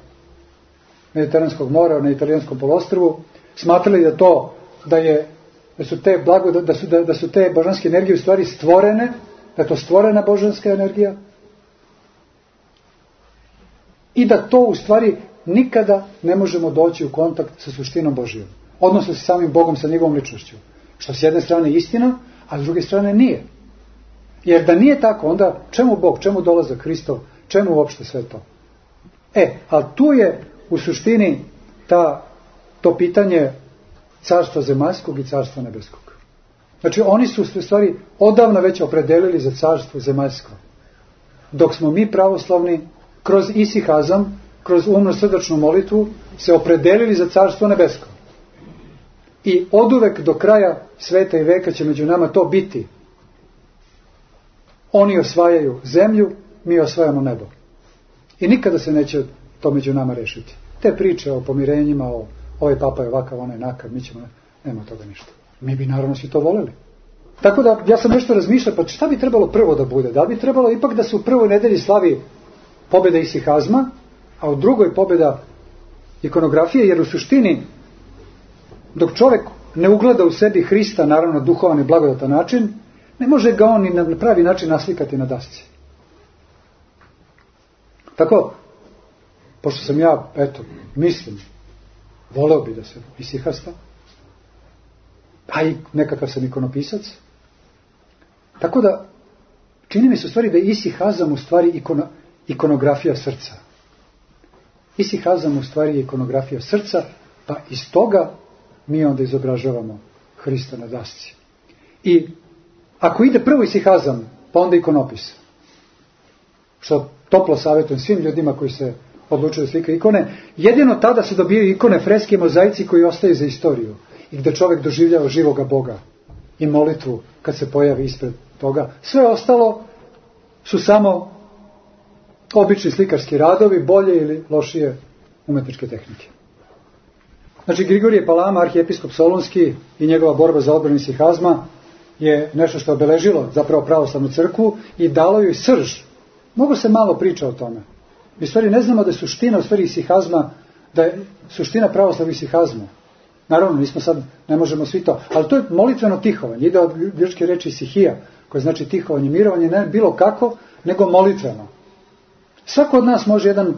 C: Mediteranskog mora na italijanskom poluostrvu smatrali da to, da je da su te blago, da su, da, da su te božanske energije u stvari stvorene, da je to stvorena božanska energija i da to u stvari nikada ne možemo doći u kontakt sa suštinom Božijom, odnosno sa samim Bogom, sa njegovom ličnošću. Što s jedne strane je istina, a s druge strane nije. Jer da nije tako, onda čemu Bog, čemu dolazak Hristov, čemu uopšte sve to? E, ali tu je u suštini ta, to pitanje carstva zemaljskog i carstva nebeskog. Znači oni su u stvari odavno već opredelili za carstvo zemaljsko. Dok smo mi pravoslavni kroz isihazam, kroz umno srdačnu molitvu se opredelili za carstvo nebesko. I oduvek do kraja sveta i veka će među nama to biti. Oni osvajaju zemlju, mi osvajamo nebo. I nikada se neće to među nama rešiti. Te priče o pomirenjima, o ovaj papa je ovakav, onaj nakav, mi ćemo, nema toga ništa. Mi bi naravno svi to voljeli. Tako da ja sam nešto razmišljao, pa šta bi trebalo prvo da bude? Da bi trebalo ipak da se u prvoj nedelji slavi pobjeda isihazma, a u drugoj pobjeda ikonografije, jer u suštini dok čovjek ne ugleda u sebi Hrista, naravno duhovan i blagodatan način, ne može ga on ni na pravi način naslikati na dasci. Tako, pošto sam ja, eto, mislim, voleo bi da se isihasta, a i nekakav sam ikonopisac, tako da čini mi se u stvari da je isihazam u stvari ikono, ikonografija srca. Isihazam u stvari je ikonografija srca, pa iz toga mi onda izobražavamo Hrista na dasci. I ako ide prvo isihazam, pa onda ikonopis, što toplo savjetujem svim ljudima koji se odlučuju da slikaju ikone, jedino tada se dobijaju ikone, freske i mozaici koji ostaju za istoriju i gde čovjek doživljava živoga Boga i molitvu kad se pojavi ispred toga. Sve ostalo su samo obični slikarski radovi, bolje ili lošije umetničke tehnike. Znači, Grigorije Palama, arhijepiskop Solunski, i njegova borba za odbranu isihazma je nešto što je obeležilo zapravo pravoslavnu crkvu i dalo joj srž. Mnogo se malo priča o tome. Mi u stvari ne znamo da je suština u stvari isihazma, da je suština pravoslavnog isihazma. Naravno, nismo sad, ne možemo svi to, ali to je molitveno tihovanje. Ide od grčke reči isihija, koje znači tihovanje, mirovanje, ne bilo kako, nego molitveno. Svako od nas može jedan,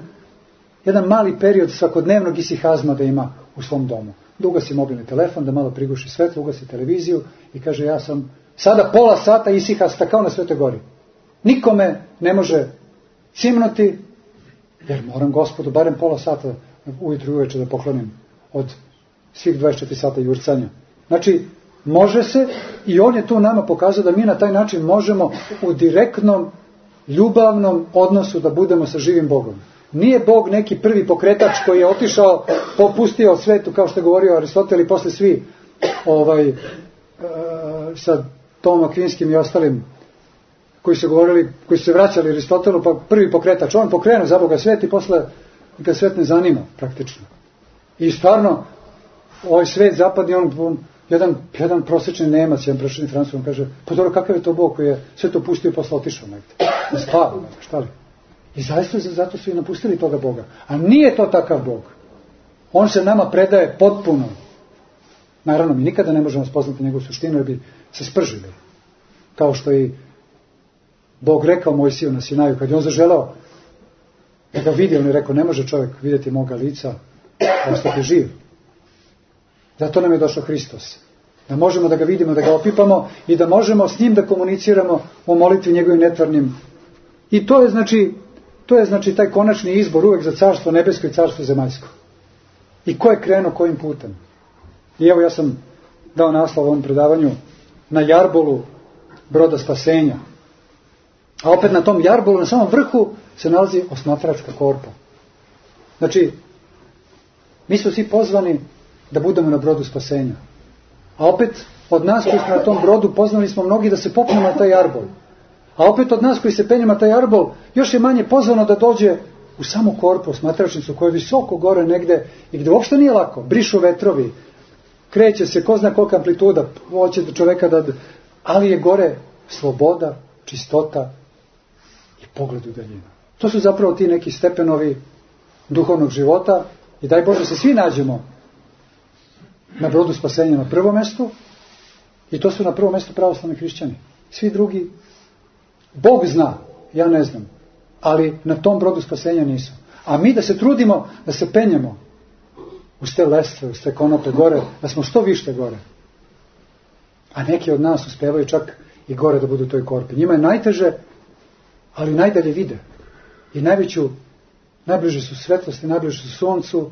C: jedan mali period svakodnevnog isihazma da ima u svom domu. Da ugasi mobilni telefon, da malo priguši svetlo, ugasi televiziju i kaže ja sam sada pola sata isihasta kao na Svetoj gori. Nikome ne može cimnuti, jer moram Gospodu barem pola sata ujutru i uveče da poklonim od svih dvadeset četiri sata jurcanja. Znači, može se, i on je tu nama pokazao da mi na taj način možemo u direktnom, ljubavnom odnosu da budemo sa živim Bogom. Nije Bog neki prvi pokretač koji je otišao, popustio svetu, kao što je govorio Aristotel, i posle svi ovaj, sa Tomom Akvinskim i ostalim koji su govorili, koji su se vraćali Aristotelu, pa prvi pokretač, on pokrenu za Boga svet i posle ga svet ne zanima praktično. I stvarno, ovaj svet zapadni, on, on jedan, jedan prosječni Nemac, jedan prosječni Francuz, on kaže, pa dobro, kakav je to Bog koji je sve to pustio i posle otišao negde? Ne spava, negde, šta li? I zaista zato su i napustili toga Boga. A nije to takav Bog. On se nama predaje potpuno. Naravno, mi nikada ne možemo spoznati njegovu suštinu, jer bi se spržili. Kao što i Bog rekao Mojsiju na Sinaju, kad je on zaželao da ga vidi, on je rekao, ne može čovjek vidjeti moga lica, a ostati živ. Zato nam je došao Hristos. Da možemo da ga vidimo, da ga opipamo i da možemo s njim da komuniciramo o molitvi njegovim netvarnim. I to je znači, to je znači taj konačni izbor uvek za carstvo nebesko i carstvo zemaljsko. I ko je krenuo kojim putem? I evo ja sam dao naslov ovom predavanju na jarbolu broda spasenja. A opet na tom jarbolu, na samom vrhu, se nalazi osmatračka korpa. Znači, mi smo svi pozvani da budemo na brodu spasenja. A opet, od nas koji smo na tom brodu, pozvani smo mnogi da se popnemo na taj jarbol. A opet od nas koji se penjemo na taj jarbol, još je manje pozvano da dođe u samu korpu, osmatračnicu, koja je visoko gore negde i gde uopšte nije lako. Brišu vetrovi, kreće se, ko zna kolika amplituda, hoće do čoveka da... Ali je gore sloboda, čistota i pogled u daljinu. To su zapravo ti neki stepenovi duhovnog života i daj Bože se svi nađemo na brodu spasenja na prvom mestu i to su na prvom mestu pravoslavni hrišćani. Svi drugi, Bog zna, ja ne znam, ali na tom brodu spasenja nisu. A mi da se trudimo, da se penjemo uz te lestve, uz te konope gore, da smo što više gore. A neki od nas uspevaju čak i gore da budu u toj korpi. Njima je najteže, ali najdalje vide. I najveću, najbliže su svetlosti, najbliže su suncu,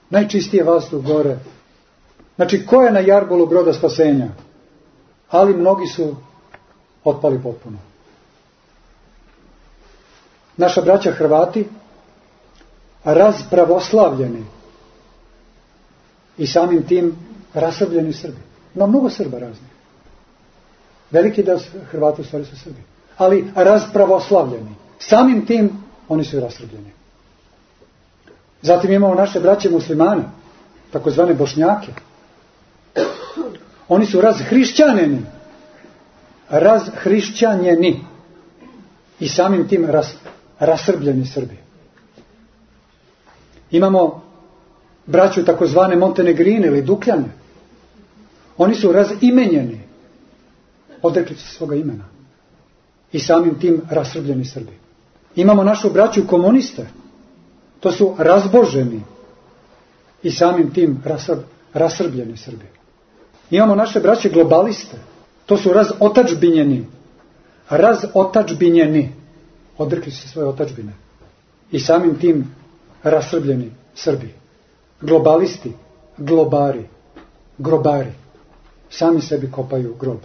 C: najčistije vazduh gore. Znači, ko je na jarbolu broda spasenja? Ali mnogi su otpali potpuno. Naša braća Hrvati, razpravoslavljeni i samim tim rasrbljeni Srbi. Ima mnogo Srba raznih. Veliki deo Hrvata u stvari su Srbi. Ali razpravoslavljeni. Samim tim oni su i rasrbljeni. Zatim imamo naše braće muslimane, takozvane Bošnjake. Oni su razhrišćanjeni. Razhrišćanjeni. I samim tim ras, rasrbljeni Srbi. Imamo braću takozvane Montenegrine ili Dukljane. Oni su razimenjeni. Odrekli su svoga imena. I samim tim rasrbljeni Srbi. Imamo našu braću komuniste. To su razboženi i samim tim rasrbljeni Srbi. Imamo naše braće globaliste. To su razotačbinjeni. Razotačbinjeni. Odrekli su se svoje otačbine. I samim tim rasrbljeni Srbi. Globalisti, globari, grobari. Sami sebi kopaju grob.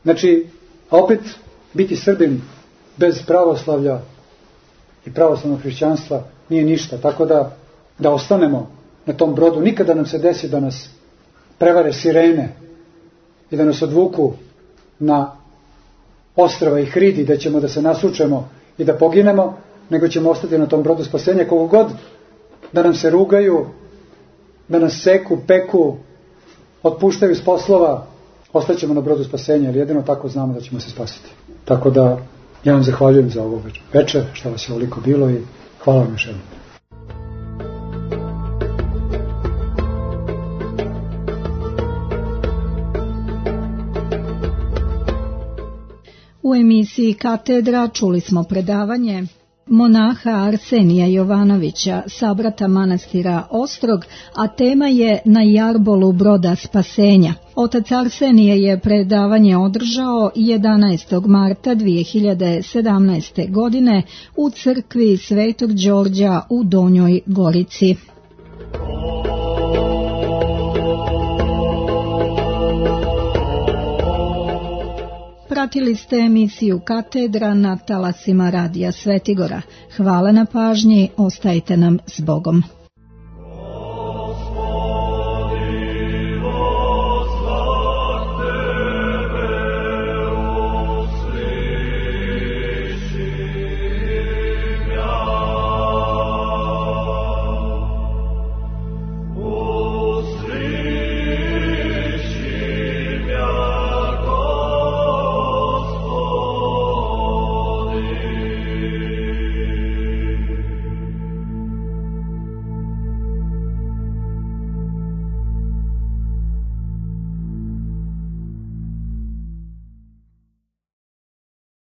C: Znači, a opet biti Srbin bez pravoslavlja i pravoslavnog hrišćanstva nije ništa. Tako da, da ostanemo na tom brodu. Nikada nam se desi da nas prevare sirene i da nas odvuku na ostrava i hridi, da ćemo da se nasučemo i da poginemo, nego ćemo ostati na tom brodu spasenja. Koliko god da nam se rugaju, da nas seku, peku, otpuštaju iz poslova, ostaćemo na brodu spasenja, jer jedino tako znamo da ćemo se spasiti. Tako da ja vam zahvaljujem za ovo večer, što vas je ovoliko bilo i hvala vam još jednom.
B: U emisiji Katedra čuli smo predavanje monaha Arsenija Jovanovića, sabrata manastira Ostrog, a tema je Na jarbolu broda spasenja. Otac Arsenije je predavanje održao jedanaestog marta dvije hiljade sedamnaeste. godine u crkvi Svetog Đorđa u Donjoj Gorici. Pratili ste emisiju Katedra na talasima Radija Svetigora. Hvala na pažnji, ostajte nam s Bogom.